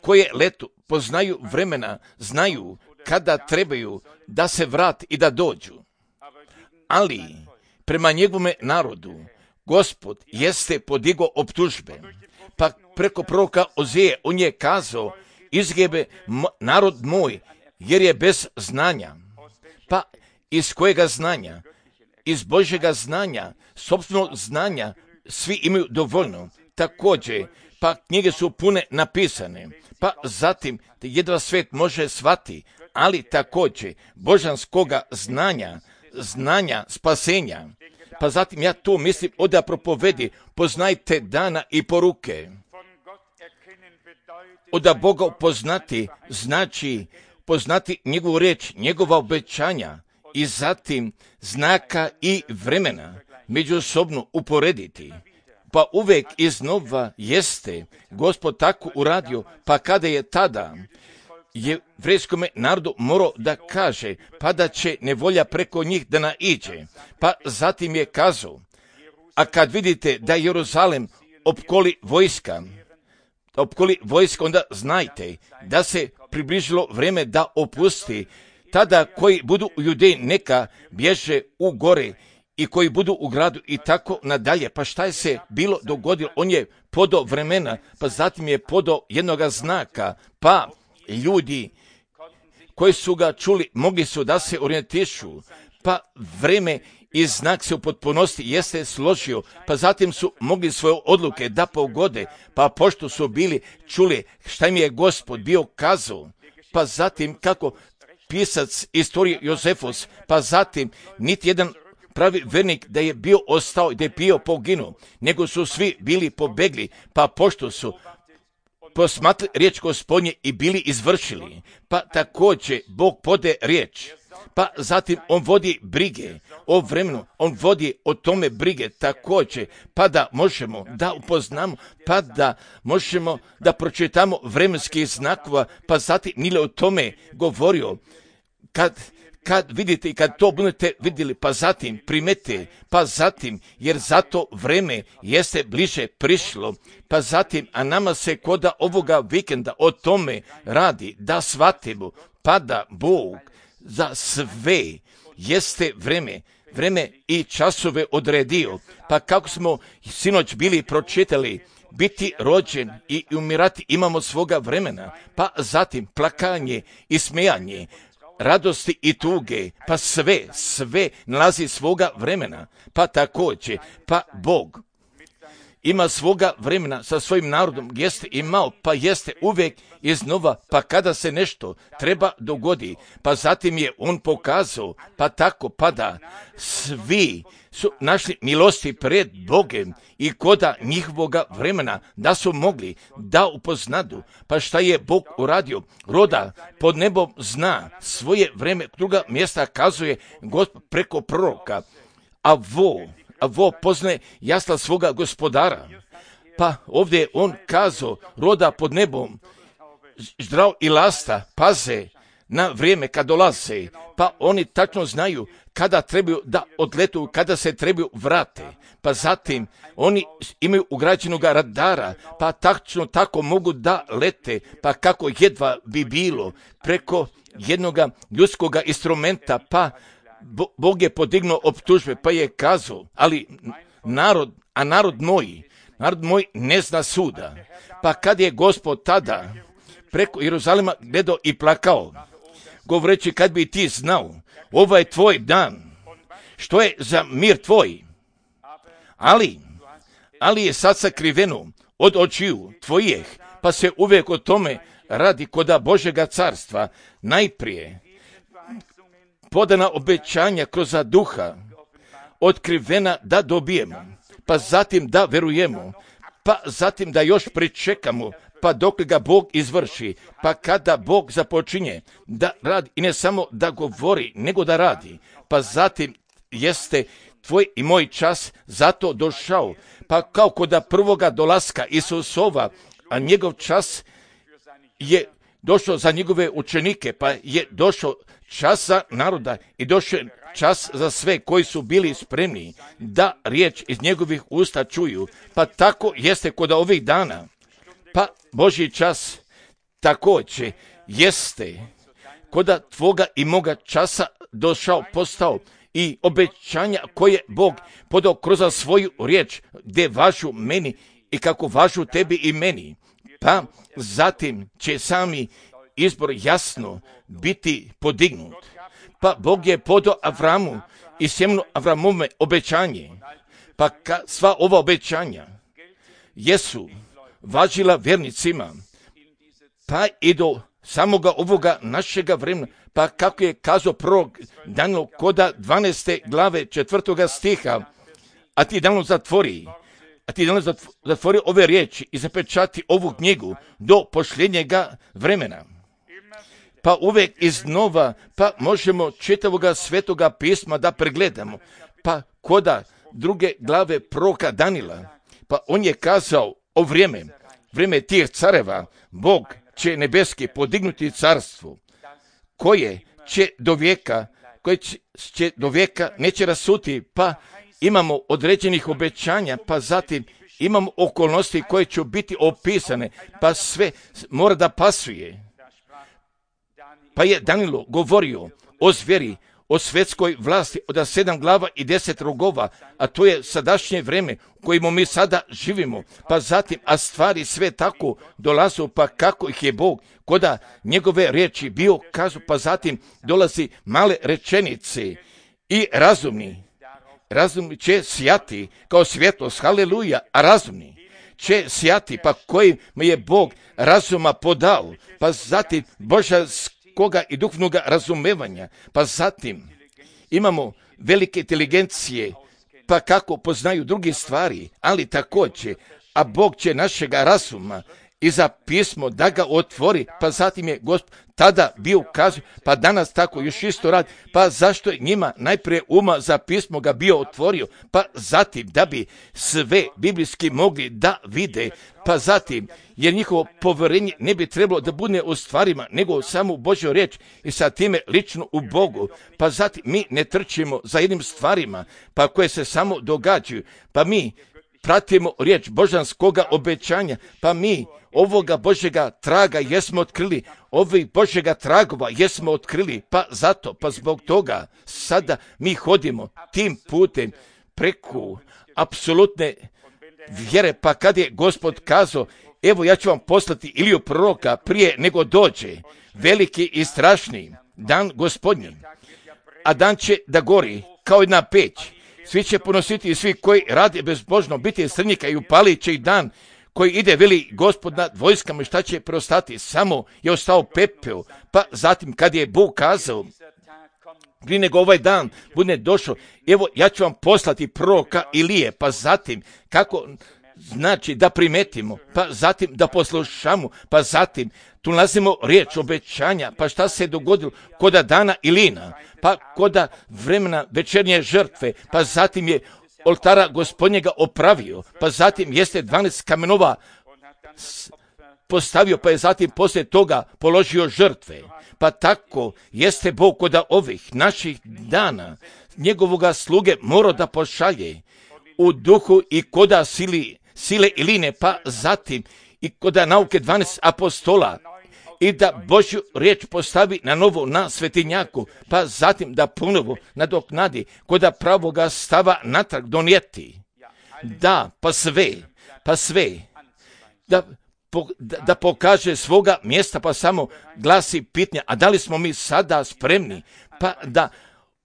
koje letu poznaju vremena, znaju kada trebaju da se vrati i da dođu. Ali prema njegovome narodu Gospod jeste podigao optužbe, pa preko proroka Ozeje on je kazao: izgebe narod moj, jer je bez znanja. Pa iz kojega znanja? Iz Božjega znanja, sopstvenog znanja, svi imaju dovoljno. Također, pa knjige su pune napisane, pa zatim jedva svet može shvatiti, ali također božanskoga znanja spasenja. Pa zatim ja to mislim od propovedi: poznajte dana i poruke. Od Boga poznati znači poznati njegovu riječ, njegova obećanja i zatim znaka i vremena međusobno uporediti. Pa uvijek iznova jeste Gospod tako uradio, pa kada je tada jevrejskome narodu morao da kaže, pa da će nevolja preko njih da naiđe. Pa zatim je kazao: a kad vidite da Jeruzalem opkoli vojska, onda znajte da se približilo vrijeme da opusti. Tada koji budu u Judeji neka bježe u gore i koji budu u gradu i tako nadalje. Pa šta je se bilo dogodilo? On je podao vremena, pa zatim je podao jednoga znaka, pa ljudi koji su ga čuli mogli su da se orijentišu, pa vreme i znak se u potpunosti jeste složio, pa zatim su mogli svoje odluke da pogode, pa pošto su bili čuli šta im je Gospod bio kazao, pa zatim kako pisac istorije Jozefus, pa zatim niti jedan pravi vernik da je bio ostao i da je bio poginuo, nego su svi bili pobegli, pa pošto su posmatrali riječ Gospodnje i bili izvršili, pa također Bog pode riječ, pa zatim on vodi brige o vremenu, on vodi o tome brige također, pa da možemo da upoznamo, pa da možemo da pročitamo vremenskih znakova, pa zatim Nile o tome govorio, kad vidite i kad to budete vidjeli, pa zatim primete, pa zatim, jer zato vreme jeste bliže prišlo, pa zatim, a nama se koda ovoga vikenda o tome radi, da shvatimo, pa da Bog za sve jeste vreme i časove odredio, pa kako smo sinoć bili pročitali, biti rođen i umirati imamo svoga vremena, pa zatim plakanje i smijanje, radosti i tuge, pa sve nalazi svoga vremena, pa također, pa Bog ima svoga vremena sa svojim narodom, jeste imao, pa jeste uvijek iznova, pa kada se nešto treba dogodi, pa zatim je on pokazao, pa tako pada, svi su našli milosti pred Bogem i koda njihovoga vremena da su mogli da upoznadu, pa šta je Bog uradio, roda pod nebom zna svoje vreme, druga mjesta kazuje Gospod preko proroka, a vo poznaje jasla svoga gospodara. Pa ovdje je on kazao, roda pod nebom, zdrav i lasta, paze na vrijeme kad dolaze, pa oni tačno znaju kada trebaju da odletu, kada se trebaju vrate, pa zatim oni imaju ugrađenog radara, pa tačno tako mogu da lete, pa kako jedva bi bilo preko jednog ljudskog instrumenta, pa Bog je podignuo optužbe, pa je kazao, ali narod moj ne zna suda. Pa kad je Gospod tada preko Jeruzalema gledao i plakao, govoreći kad bi ti znao, ovaj tvoj dan, što je za mir tvoj, ali je sad sakriveno od očiju tvojih, pa se uvijek o tome radi koda Božjega carstva, najprije podana obećanja kroz duha, otkrivena da dobijemo, pa zatim da verujemo, pa zatim da još pričekamo, pa dok ga Bog izvrši, pa kada Bog započinje da radi i ne samo da govori, nego da radi, pa zatim jeste tvoj i moj čas zato došao, pa kao kod prvoga dolaska Isusova, a njegov čas je došao za njegove učenike, pa je došao čas za naroda i došao je čas za sve koji su bili spremni da riječ iz njegovih usta čuju. Pa tako jeste kod ovih dana. Pa Božji čas također jeste koda tvoga i moga časa došao, postao i obećanja koje Bog podao kroz svoju riječ, gdje važu meni i kako važu tebi i meni. Pa zatim će sami izbor jasno biti podignut. Pa Bog je podao Avramu i sjemenu Avramove obećanje. Pa sva ova obećanja jesu važila vjernicima, pa i do samoga ovoga našega vremena, pa kako je kazao prorok Danilo koda 12. glave 4. stiha, a ti Danilo zatvori ove riječi i zapečati ovu knjigu do posljednjega vremena. Pa uvijek iznova, pa možemo čitavoga svetoga pisma da pregledamo, pa koda 2. glave proroka Danila, pa on je kazao o vrijeme tih careva, Bog će nebeski podignuti carstvo, koje će do vijeka neće rasuti, pa imamo određenih obećanja, pa zatim imamo okolnosti koje će biti opisane, pa sve mora da pasuje. Pa je Danilo govorio o zveri, o svetskoj vlasti od 7 glava i 10 rogova, a to je sadašnje vrijeme u kojemu mi sada živimo, pa zatim, a stvari sve tako dolazu, pa kako ih je Bog koda njegove riječi bio kazu, pa zatim dolazi male rečenice i razumni će sijati kao svjetlost, haleluja, a razumni će sijati, pa kojim je Bog razuma podao, pa zatim božanskoga i duhovnoga razumevanja, pa zatim imamo velike inteligencije, pa kako poznaju druge stvari, ali također, a Bog će našega razuma i za pismo da ga otvori, pa zatim je Gospod tada bio ukazao, pa danas tako još isto radi, pa zašto je njima najprije uma za pismo ga bio otvorio, pa zatim da bi sve biblijski mogli da vide, pa zatim jer njihovo povjerenje ne bi trebalo da bude u stvarima, nego samo u Božjoj riječ i sa time lično u Bogu, pa zatim mi ne trčimo za jednim stvarima, pa koje se samo događaju, pa mi pratimo riječ božanskoga obećanja, pa mi ovoga Božjega traga jesmo otkrili, ovih Božjega tragova jesmo otkrili, pa zato, pa zbog toga sada mi hodimo tim putem preko apsolutne vjere, pa kad je Gospod kazao, evo ja ću vam poslati Iliju proroka prije nego dođe veliki i strašni dan Gospodnji, a dan će da gori kao jedna peć, svi će ponositi i svi koji rade bezbožno biti srnika i upalit će ih dan koji ide, veli Gospod nad vojskama, i šta će preostati, samo je ostao pepeo, pa zatim kad je Bog kazao, prije nego ovaj dan bude došao, evo ja ću vam poslati proroka Ilije, pa zatim kako znači da primetimo, pa zatim da poslušamo, pa zatim tu nalazimo riječ obećanja, pa šta se dogodilo koda dana Ilina, pa koda vremena večernje žrtve, pa zatim je oltara Gospodnjega opravio, pa zatim jeste 12 kamenova postavio, pa je zatim poslije toga položio žrtve. Pa tako jeste Bog koda ovih naših dana njegovoga sluge mora da pošalje u duhu i koda sile Iline, pa zatim i koda nauke 12 apostola, i da Božju riječ postavi na novo na svetinjaku, pa zatim da ponovo nadoknadi koda pravoga stava natrag donijeti. Da, pa sve, da pokaže svoga mjesta, pa samo glasi pitanja, a da li smo mi sada spremni, pa da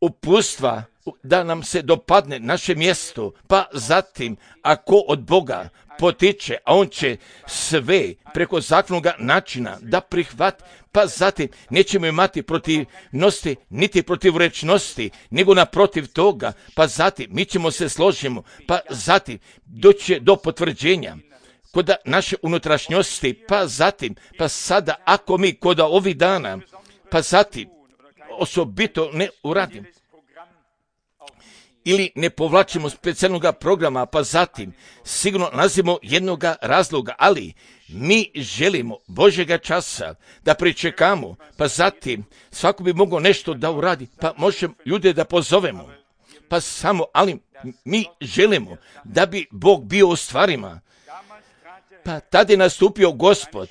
upustva, da nam se dopadne naše mjesto, pa zatim ako od Boga potiče, a on će sve preko zakonnoga načina da prihvati, pa zatim nećemo imati protivnosti, niti protivrečnosti, nego naprotiv toga, pa zatim mi ćemo se složimo, pa zatim doće do potvrđenja kod naše unutrašnjosti, pa zatim, pa sada ako mi kod ovih dana, pa zatim osobito ne uradim ili ne povlačimo specijalnog programa, pa zatim sigurno nalazimo jednog razloga, ali mi želimo Božjega časa da pričekamo, pa zatim svako bi mogao nešto da uradi, pa možemo ljude da pozovemo, pa samo, ali mi želimo da bi Bog bio u stvarima. Pa tada je nastupio Gospod,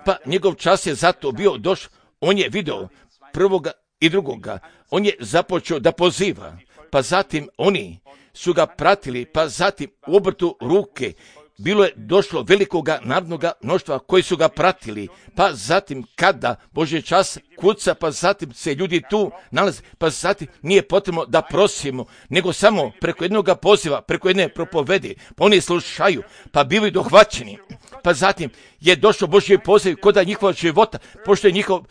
pa njegov čas je zato bio došao, on je video prvoga i drugoga, on je započeo da poziva, pa zatim oni su ga pratili, pa zatim u obrtu ruke bilo je došlo velikoga narodnoga mnoštva koji su ga pratili, pa zatim kada Božji čas kuca, pa zatim se ljudi tu nalaze, pa zatim nije potrebno da prosimo, nego samo preko jednog poziva, preko jedne propovedi, pa oni slušaju, pa bivaju dohvaćeni, pa zatim je došao Božji poziv kod njihova života, pošto je njihov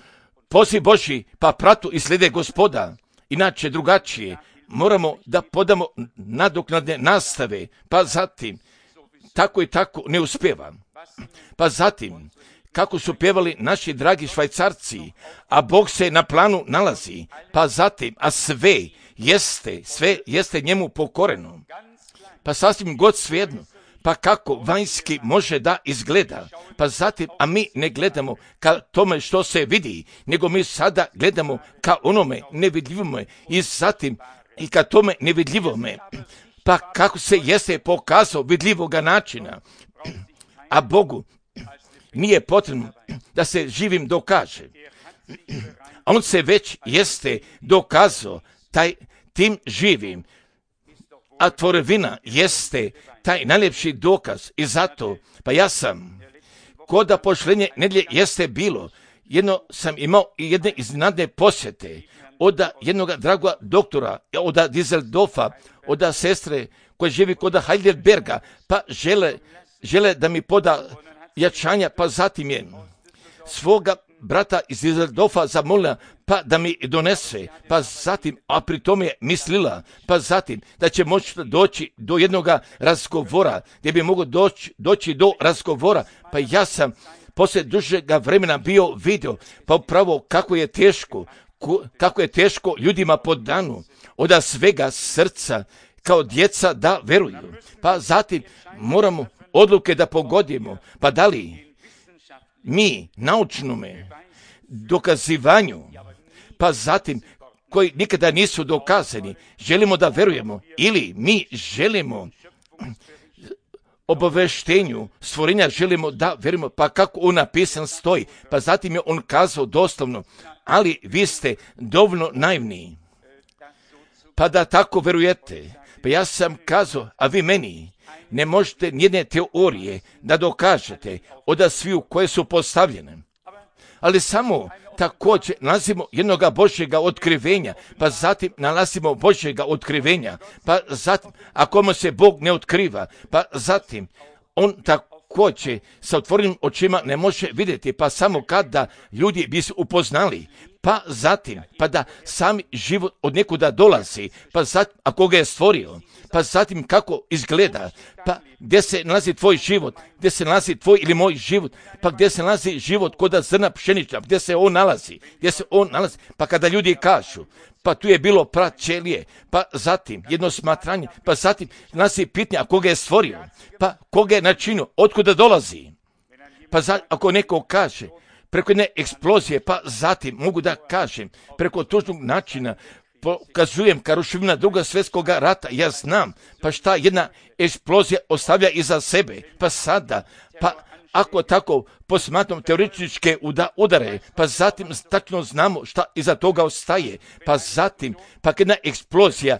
poziv Božji, pa pratu i slede Gospoda. Inače drugačije, moramo da podamo nadoknadne nastave, pa zatim tako i tako ne uspeva. Pa zatim, kako su pjevali naši dragi Švajcarci, a Bog se na planu nalazi, pa zatim, a sve jeste njemu pokoreno. Pa sasvim god svejedno, pa kako vanjski može da izgleda, pa zatim, a mi ne gledamo ka tome što se vidi, nego mi sada gledamo ka onome nevidljivome i zatim i ka tome nevidljivome. Pa kako se jeste pokazao vidljivoga načina, a Bogu nije potrebno da se živim dokaže. A on se već jeste dokazao tim živim, a tvorevina jeste taj najljepši dokaz i zato, pa ja sam, koda pošlenje nedjelje jeste bilo, jedno sam imao i jedne iznenadne posjete od jednog dragog doktora, od Dizeldorfa, od sestre koja živi kod Heidelberga, pa žele da mi poda jačanja, pa zatim je svoga brata iz Dizeldorfa zamolila, pa da mi donese, pa zatim, a pri tome je mislila, pa zatim da će moći doći do jednog razgovora, gdje bi mogao doći do razgovora, pa ja sam poslije dužega vremena bio vidio, pa upravo kako je teško ljudima po danu, od svega srca, kao djeca da veruju. Pa zatim moramo odluke da pogodimo, pa da li mi naučnome dokazivanju, pa zatim koji nikada nisu dokazani, želimo da verujemo ili mi želimo obaveštenju stvorenja, želimo da verujemo, pa kako on napisan stoji, pa zatim je on kazao doslovno, ali vi ste dovoljno naivni, pa da tako verujete. Pa ja sam kazao, a vi meni ne možete nijedne teorije da dokažete od sviju koje su postavljene, ali samo također nalazimo jednoga Božjega otkrivenja, pa zatim nalazimo Božjega otkrivenja, pa zatim, ako mu se Bog ne otkriva, pa zatim on također sa otvorenim očima ne može vidjeti, pa samo kada ljudi bi se upoznali, pa zatim, pa da sami život od nekuda dolazi, pa zatim, ako ga je stvorio, pa zatim kako izgleda, pa gdje se nalazi tvoj život, gdje se nalazi tvoj ili moj život, pa gdje se nalazi život kod zrna pšenična, gdje se on nalazi, pa kada ljudi kažu, pa tu je bilo praćelije, pa zatim jedno smatranje, pa zatim nalazi pitanje, a koga je stvorio, pa koga je načinio, otkuda dolazi, pa ako neko kaže, preko jedne eksplozije, pa zatim mogu da kažem, preko tužnog načina, pokazujem ka ruševina Drugog svjetskog rata, ja znam, pa šta jedna eksplozija ostavlja iza sebe, pa sada, pa ako tako posmatram teoretičke udare, pa zatim tačno znamo šta iza toga ostaje, pa zatim, pa jedna eksplozija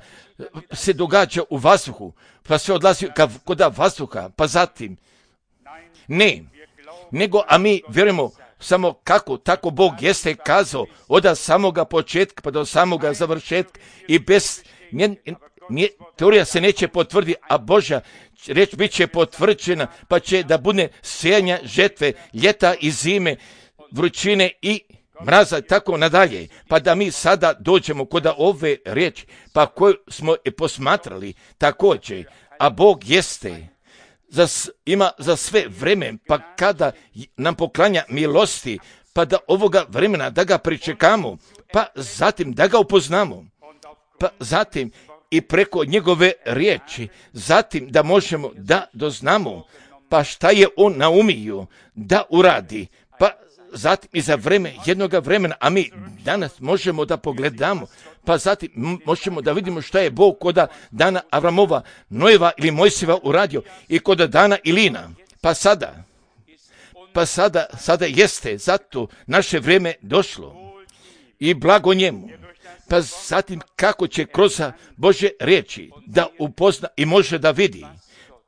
se događa u vazduhu, pa sve odlazi kod vazduha, pa zatim, ne, nego, a mi vjerujemo samo kako, tako Bog jeste kazao od samoga početka pa do samoga završetka i bez teorija se neće potvrditi, a Božja reč bit će potvrđena, pa će da bude sijanja žetve, ljeta i zime, vrućine i mraza, tako nadalje, pa da mi sada dođemo kod ove riječi, pa koju smo posmatrali također, a Bog jeste ima za sve vreme, pa kada nam poklanja milosti, pa da ovoga vremena da ga pričekamo, pa zatim da ga upoznamo, pa zatim i preko njegove riječi, zatim da možemo da doznamo, pa šta je on naumio da uradi, pa zatim i za jednoga vremena, a mi danas možemo da pogledamo, pa zatim možemo da vidimo šta je Bog koda dana Avramova, Nojeva ili Mojsijeva uradio i koda dana Ilina, pa sada jeste, zato naše vrijeme došlo i blago njemu. Pa zatim kako će kroz Božje riječi da upozna i može da vidi,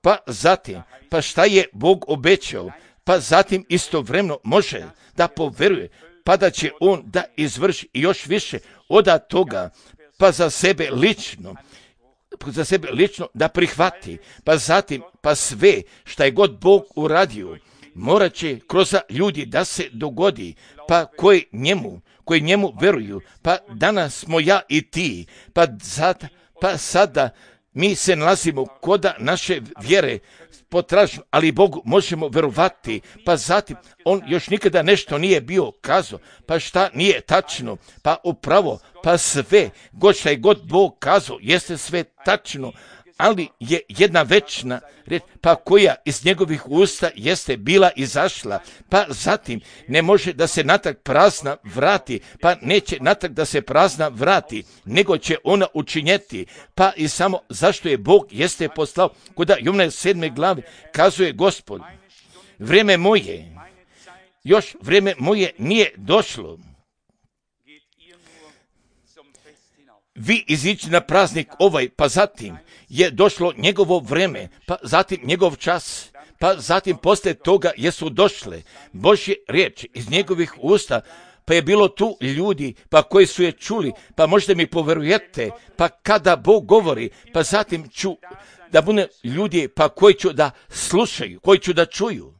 pa zatim, pa šta je Bog obećao, pa zatim istovremeno može da poveruje, pa da će on da izvrši još više od toga, pa za sebe lično da prihvati, pa zatim, pa sve šta je god Bog uradio, morat će kroz ljudi da se dogodi, pa koji njemu veruju, pa danas smo ja i ti, pa sada mi se nalazimo kod naše vjere potražno, ali Bogu možemo verovati, pa zatim on još nikada nešto nije bio kazao, pa šta nije tačno, pa upravo, pa sve, šta je god Bog kazao, jeste sve tačno, ali je jedna večna reč, pa koja iz njegovih usta jeste bila izašla, pa zatim ne može da se natrag prazna vrati, pa neće natrag da se prazna vrati, nego će ona učinjeti, pa i samo zašto je Bog jeste poslao, kuda Jovana 7. glavi kazuje Gospod, vrijeme moje nije došlo. Vi izići na praznik pa zatim je došlo njegovo vrijeme, pa zatim njegov čas, pa zatim poslije toga jesu došle Božje riječi iz njegovih usta, pa je bilo tu ljudi, pa koji su je čuli, pa možda mi poverujete, pa kada Bog govori, pa zatim ću da bude ljudi, pa koji ću da slušaju, koji ću da čuju,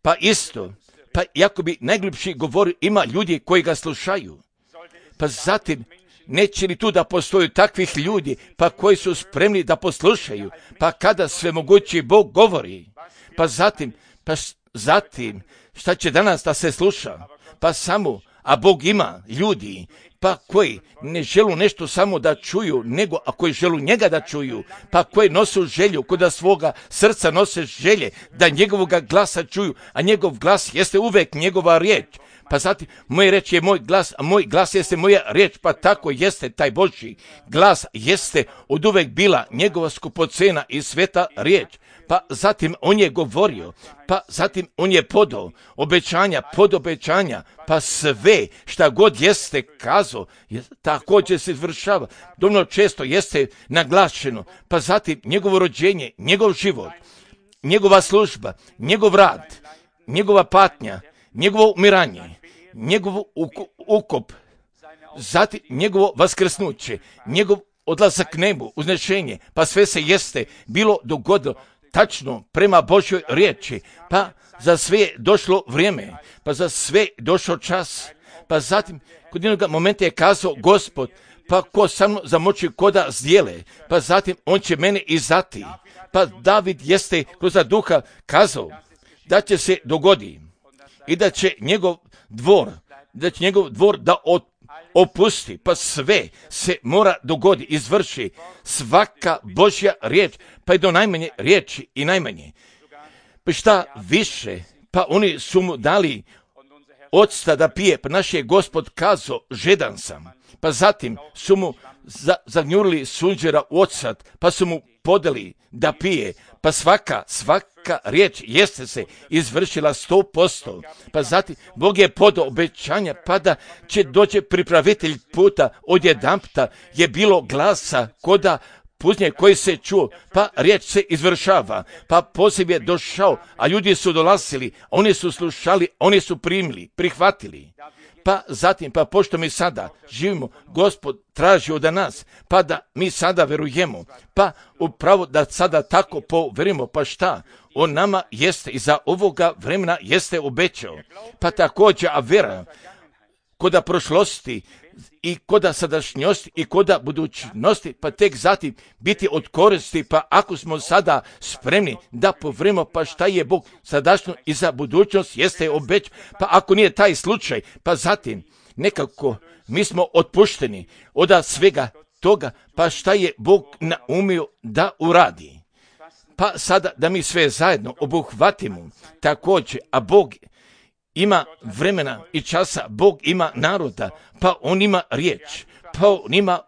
pa isto, pa jako bi najglupši govori, ima ljudi koji ga slušaju, pa zatim neće li tu da postoju takvih ljudi, pa koji su spremni da poslušaju, pa kada svemogući Bog govori, pa zatim, šta će danas da se sluša, pa samo, a Bog ima ljudi, pa koji ne želu nešto samo da čuju, nego a koji želu njega da čuju, pa koji nosu želju, kuda svoga srca nose želje, da njegovoga glasa čuju, a njegov glas jeste uvek njegova riječ. Pa zatim, moja riječ je moj glas, a moj glas jeste moja riječ, pa tako jeste taj Božji glas, jeste od uvek bila njegova skupocena i sveta riječ. Pa zatim on je govorio, pa zatim on je podao obećanja, pa sve šta god jeste kazao, također se izvršava. Dovoljno često jeste naglašeno, pa zatim njegovo rođenje, njegov život, njegova služba, njegov rad, njegova patnja, njegovo umiranje, njegov ukop, zatim njegovo vaskrsnuće, njegov odlazak k nebu, uznešenje, pa sve se jeste bilo dogodilo tačno prema Božjoj riječi, pa za sve je došlo vrijeme, pa za sve došao čas, pa zatim kod jednog momenta je kazao Gospod, pa ko sa mnom zamoći koda zdjele, pa zatim on će mene izdati, pa David jeste kroz duha kazao da će se dogodi i da će njegov dvor da opusti, pa sve se mora dogodi, izvrši svaka Božja riječ, pa i do najmanje riječi i najmanje. Pa šta više, pa oni su mu dali octa da pije, pa naš je Gospod kazao, žedan sam, pa zatim su mu zagnjurili sunđera u ocad, pa su mu podeli da pije, pa svaka riječ jeste se izvršila 100%, pa zatim Bog je podao obećanja, pa da će doći pripravitelj puta, odjedanputa je bilo glasa koda puznje koji se čuo, pa riječ se izvršava, pa poziv je došao, a ljudi su dolazili, oni su slušali, oni su primili, prihvatili. Pa zatim, pa pošto mi sada živimo, Gospod traži od nas, pa da mi sada verujemo, pa upravo da sada tako poverimo, pa šta? On nama jeste i za ovoga vremena jeste obećao. Pa također, a vera koda prošlosti i koda sadašnjosti i koda budućnosti, pa tek zatim biti od koristi, pa ako smo sada spremni da poverimo, pa šta je Bog sadašnjo i za budućnost jeste obećao, pa ako nije taj slučaj, pa zatim nekako mi smo otpušteni od svega toga, pa šta je Bog naumio da uradi. Pa sada da mi sve zajedno obuhvatimo također, a Bog ima vremena i časa, Bog ima naroda, pa on ima riječ, pa on ima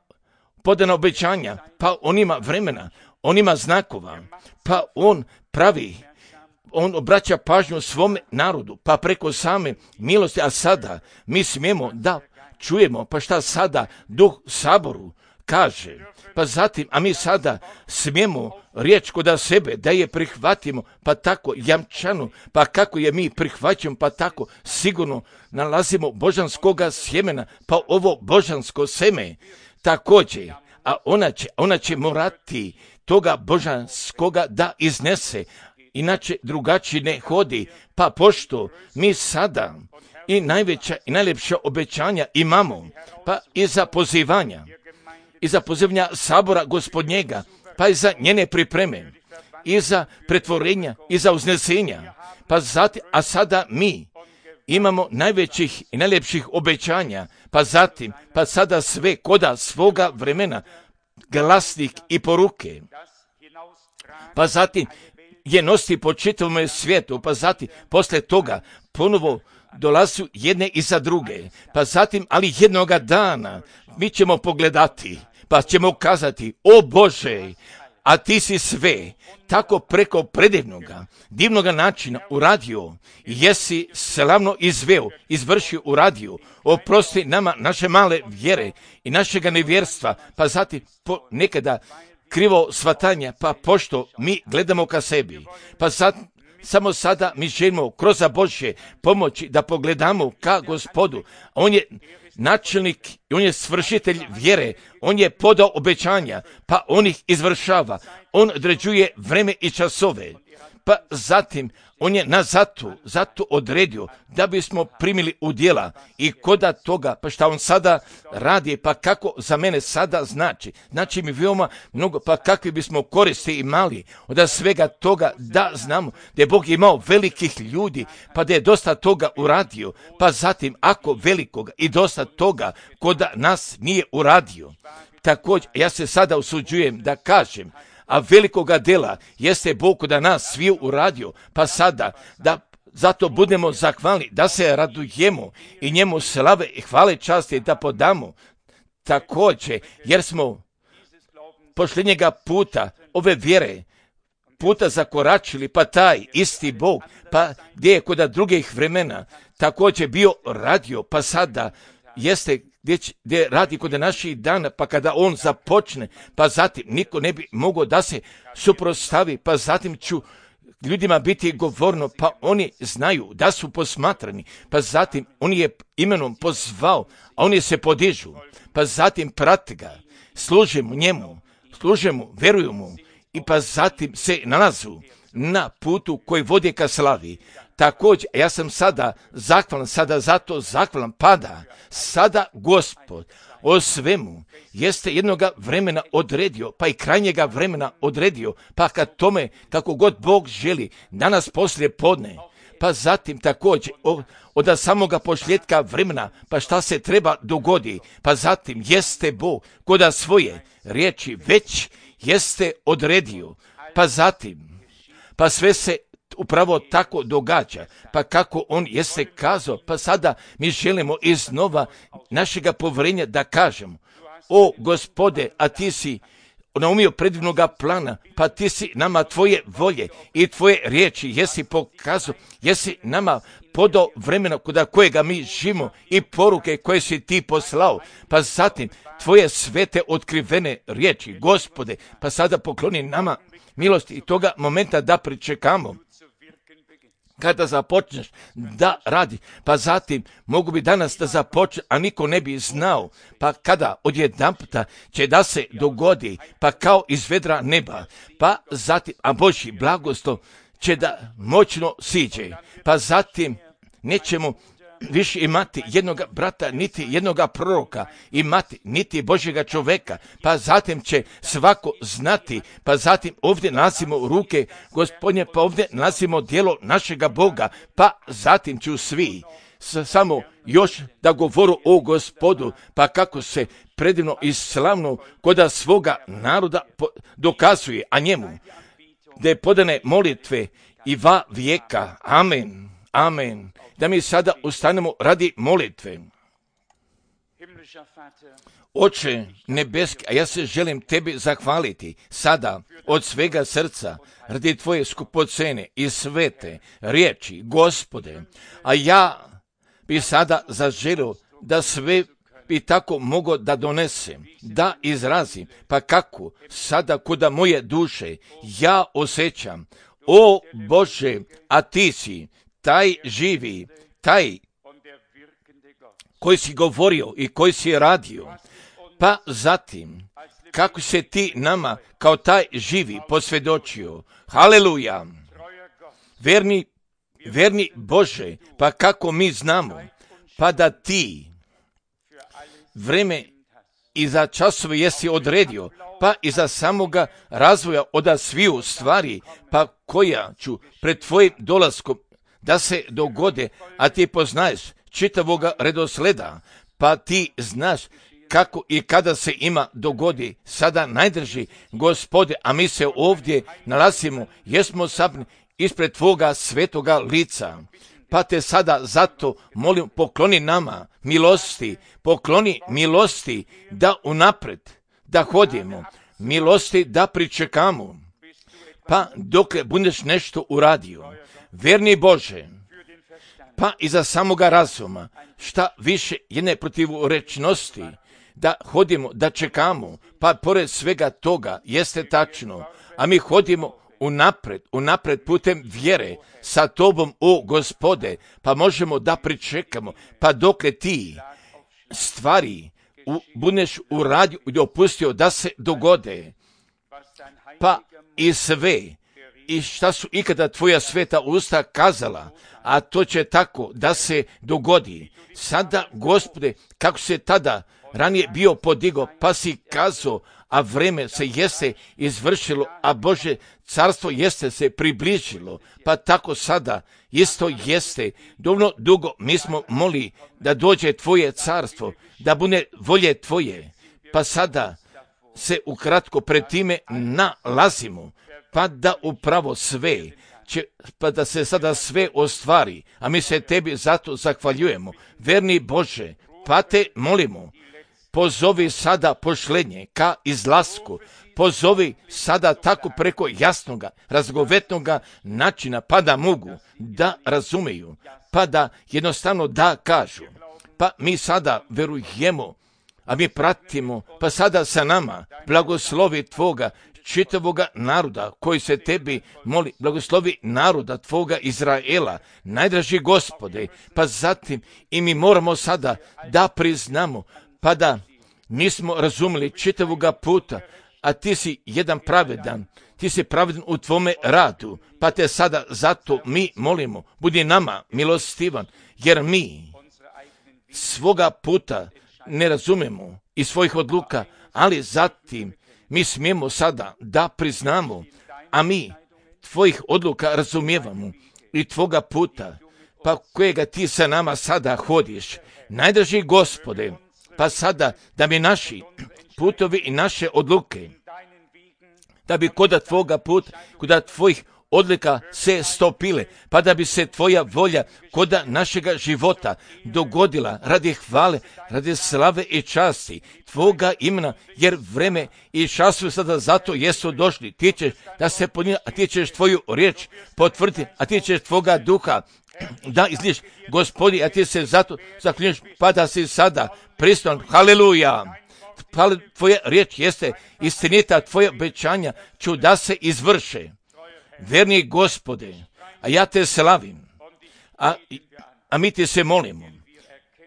podana obećanja, pa on ima vremena, on ima znakova, pa on pravi, on obraća pažnju svome narodu, pa preko same milosti, a sada mi smijemo da čujemo, pa šta sada Duh Saboru kaže, pa zatim, a mi sada smijemo riječ kod sebe, da je prihvatimo, pa tako jamčanu, pa kako je mi prihvaćamo, pa tako sigurno nalazimo božanskoga sjemena, pa ovo božansko seme također, a ona će morati toga božanskoga da iznese, inače drugačije ne hodi, pa pošto mi sada i najveća i najljepša obećanja imamo, pa i za pozivanja sabora Gospodnjega, pa i za njene pripreme, i za pretvorenja, i za uznesenja, pa zatim, a sada mi imamo najvećih i najljepših obećanja, pa zatim, pa sada sve koda svoga vremena, glasnik i poruke, pa zatim je nositi po čitavom svijetu, pa zatim poslije toga ponovo dolazu jedne iza druge, pa zatim, ali jednoga dana mi ćemo pogledati, pa ćemo kazati, o Bože, a ti si sve tako preko predivnoga, divnoga načina uradio, jesi slavno izvršio uradio, oprosti nama naše male vjere i našega nevjerstva, pa zatim nekada krivo shvatanja, pa pošto mi gledamo ka sebi, pa samo sada mi želimo kroz Božje pomoći da pogledamo ka Gospodu. On je načelnik, on je svršitelj vjere, on je podao obećanja, pa on ih izvršava, on određuje vreme i časove, pa zatim on je nas zato odredio da bismo primili u djela i koda toga, pa šta on sada radi, pa kako za mene sada znači mi veoma mnogo, pa kakvi bismo koristi imali od svega toga da znamo da je Bog imao velikih ljudi, pa da je dosta toga uradio, pa zatim ako velikoga i dosta toga koda nas nije uradio. Također ja se sada usuđujem da kažem, a velikoga dela jeste Bog kod nas svi uradio, pa sada da zato budemo zahvalni, da se radujemo i njemu slave i hvale časti da podamo također, jer smo posljednjega puta ove vjere puta zakoračili, pa taj isti Bog, pa gdje je kod drugih vremena također bio radio, pa sada jeste gdje radi kod naših dana, pa kada on započne, pa zatim niko ne bi mogao da se suprotstavi, pa zatim ću ljudima biti govorno, pa oni znaju da su posmatrani, pa zatim on je imenom pozvao, a oni se podižu, pa zatim prate ga, služimo njemu, veruju mu i pa zatim se nalazu na putu koji vodi ka slavi. Također, ja sam sada zahvalan, pada sada Gospod o svemu jeste jednoga vremena odredio, pa i krajnjega vremena odredio, pa kad tome kako god Bog želi, danas poslije podne, pa zatim također od samoga početka vremena, pa šta se treba dogodi, pa zatim jeste Bog koda svoje riječi već jeste odredio, pa zatim, pa sve se upravo tako događa, pa kako on jeste kazao, pa sada mi želimo iznova našega povjerenja da kažemo, o Gospode, a ti si naumio predivnoga plana, pa ti si nama tvoje volje i tvoje riječi jesi pokazao, jesi nama podao vremena kod kojega mi živimo i poruke koje si ti poslao, pa zatim tvoje svete otkrivene riječi, Gospode, pa sada pokloni nama milosti i toga momenta da pričekamo. Kada započneš da radi, pa zatim mogu bi danas da započne, a niko ne bi znao, pa kada odjedanputa će da se dogodi, pa kao iz vedra neba, pa zatim, a Božji blagoslov će da moćno siđe, pa zatim nećemo više imati jednog brata, niti jednog proroka, imati niti Božjega čoveka, pa zatim će svako znati, pa zatim ovdje nalazimo ruke Gospodnje, pa ovdje nalazimo djelo našega Boga, pa zatim ću svi samo još da govoru o Gospodu, pa kako se predivno i slavno koda svoga naroda dokazuje, a njemu da je podane molitve i va vijeka. Amen, amen. Da mi sada ustanemo radi molitve. Oče nebeski, a ja se želim tebi zahvaliti sada od svega srca radi tvoje skupocene i svete riječi, Gospode. A ja bi sada zaželio da sve bi tako mogao da donesem, da izrazim, pa kako sada kuda moje duše ja osjećam. O Bože, a ti si taj živi, taj koji si govorio i koji si radio, pa zatim kako se ti nama kao taj živi posvjedočio. Haleluja! Verni Bože, pa kako mi znamo, pa da ti vreme i za časove jesi odredio, pa i za samoga razvoja od sviju stvari, pa koja ću pred tvojim dolaskom da se dogode, a ti poznaješ čitavoga redosleda, pa ti znaš kako i kada se ima dogodi. Sada najdrži, Gospode, a mi se ovdje nalazimo, jesmo sabni ispred tvoga svetoga lica. Pa te sada zato molim, pokloni nama milosti da unapred, da hodimo, milosti da pričekamo, pa dokle budeš nešto uradio. Verni Bože, pa i za samoga razuma, šta više jedne protivrečnosti, da hodimo, da čekamo, pa pored svega toga jeste tačno, a mi hodimo unapred putem vjere sa tobom, o Gospode, pa možemo da pričekamo, pa dokle ti stvari budeš uradio i dopustio da se dogode, pa i sve, i šta su ikada tvoja sveta usta kazala, a to će tako da se dogodi. Sada, Gospode, kako se tada ranije bio podigo, pa si kazao, a vreme se jeste izvršilo, a Bože carstvo jeste se približilo, pa tako sada isto jeste. Dovoljno dugo mi smo molili da dođe tvoje carstvo, da bude volje tvoje, pa sada se ukratko pred time nalazimo, pa da upravo sve, pa da se sada sve ostvari, a mi se tebi zato zahvaljujemo. Verni Bože, pa te molimo, pozovi sada pošlenje ka izlasku, pozovi sada tako preko jasnoga, razgovetnoga načina, pa da mogu da razumeju, pa da jednostavno da kažu. Pa mi sada verujemo, a mi pratimo, pa sada sa nama blagoslovi tvoga čitavoga naroda koji se tebi moli, blagoslovi naroda tvoga Izraela, najdraži Gospode, pa zatim i mi moramo sada da priznamo, pa da nismo razumeli čitavoga puta, a ti si jedan pravedan, ti si pravedan u tvome radu, pa te sada zato mi molimo, budi nama milostivan, jer mi svoga puta ne razumemo i svojih odluka, ali zatim mi smijemo sada da priznamo, a mi tvojih odluka razumijevamo i tvoga puta, pa kojega ti sa nama sada hodiš. Najdraži Gospode, pa sada da bi naši putovi i naše odluke, da bi koda tvoga puta, koda tvojih odlika se stopile, pa da bi se tvoja volja koda našega života dogodila radi hvale, radi slave i časti tvoga imena, jer vreme i času sada zato jesu došli. Ti ćeš da se podnijela, a ti ćeš tvoju riječ potvrditi, a ti ćeš tvoga duha da izliješ, Gospodi, a ti se zato zaklinješ, pa da si sada pristojan. Haleluja! Tvoja riječ jeste istinita, tvoje obećanja ću da se izvrše. Verni Gospode, a ja te slavim, a mi ti se molimo,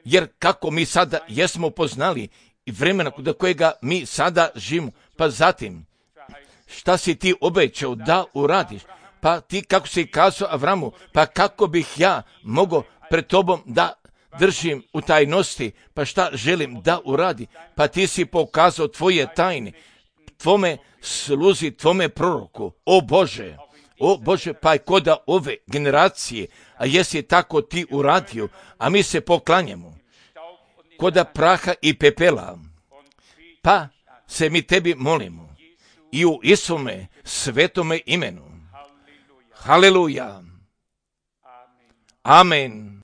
jer kako mi sada jesmo poznali i vremena do kojega mi sada živimo, pa zatim šta si ti obećao da uradiš, pa ti kako si kazao Avramu, pa kako bih ja mogao pred tobom da držim u tajnosti, pa šta želim da uradi, pa ti si pokazao tvoje tajne, tvome sluzi, tvome proroku, o Bože, pa je koda ove generacije, a jesi tako ti uradio, a mi se poklanjamo, koda praha i pepela, Pa se mi tebi molimo i u Isome svetome imenu. Haleluja. Amen.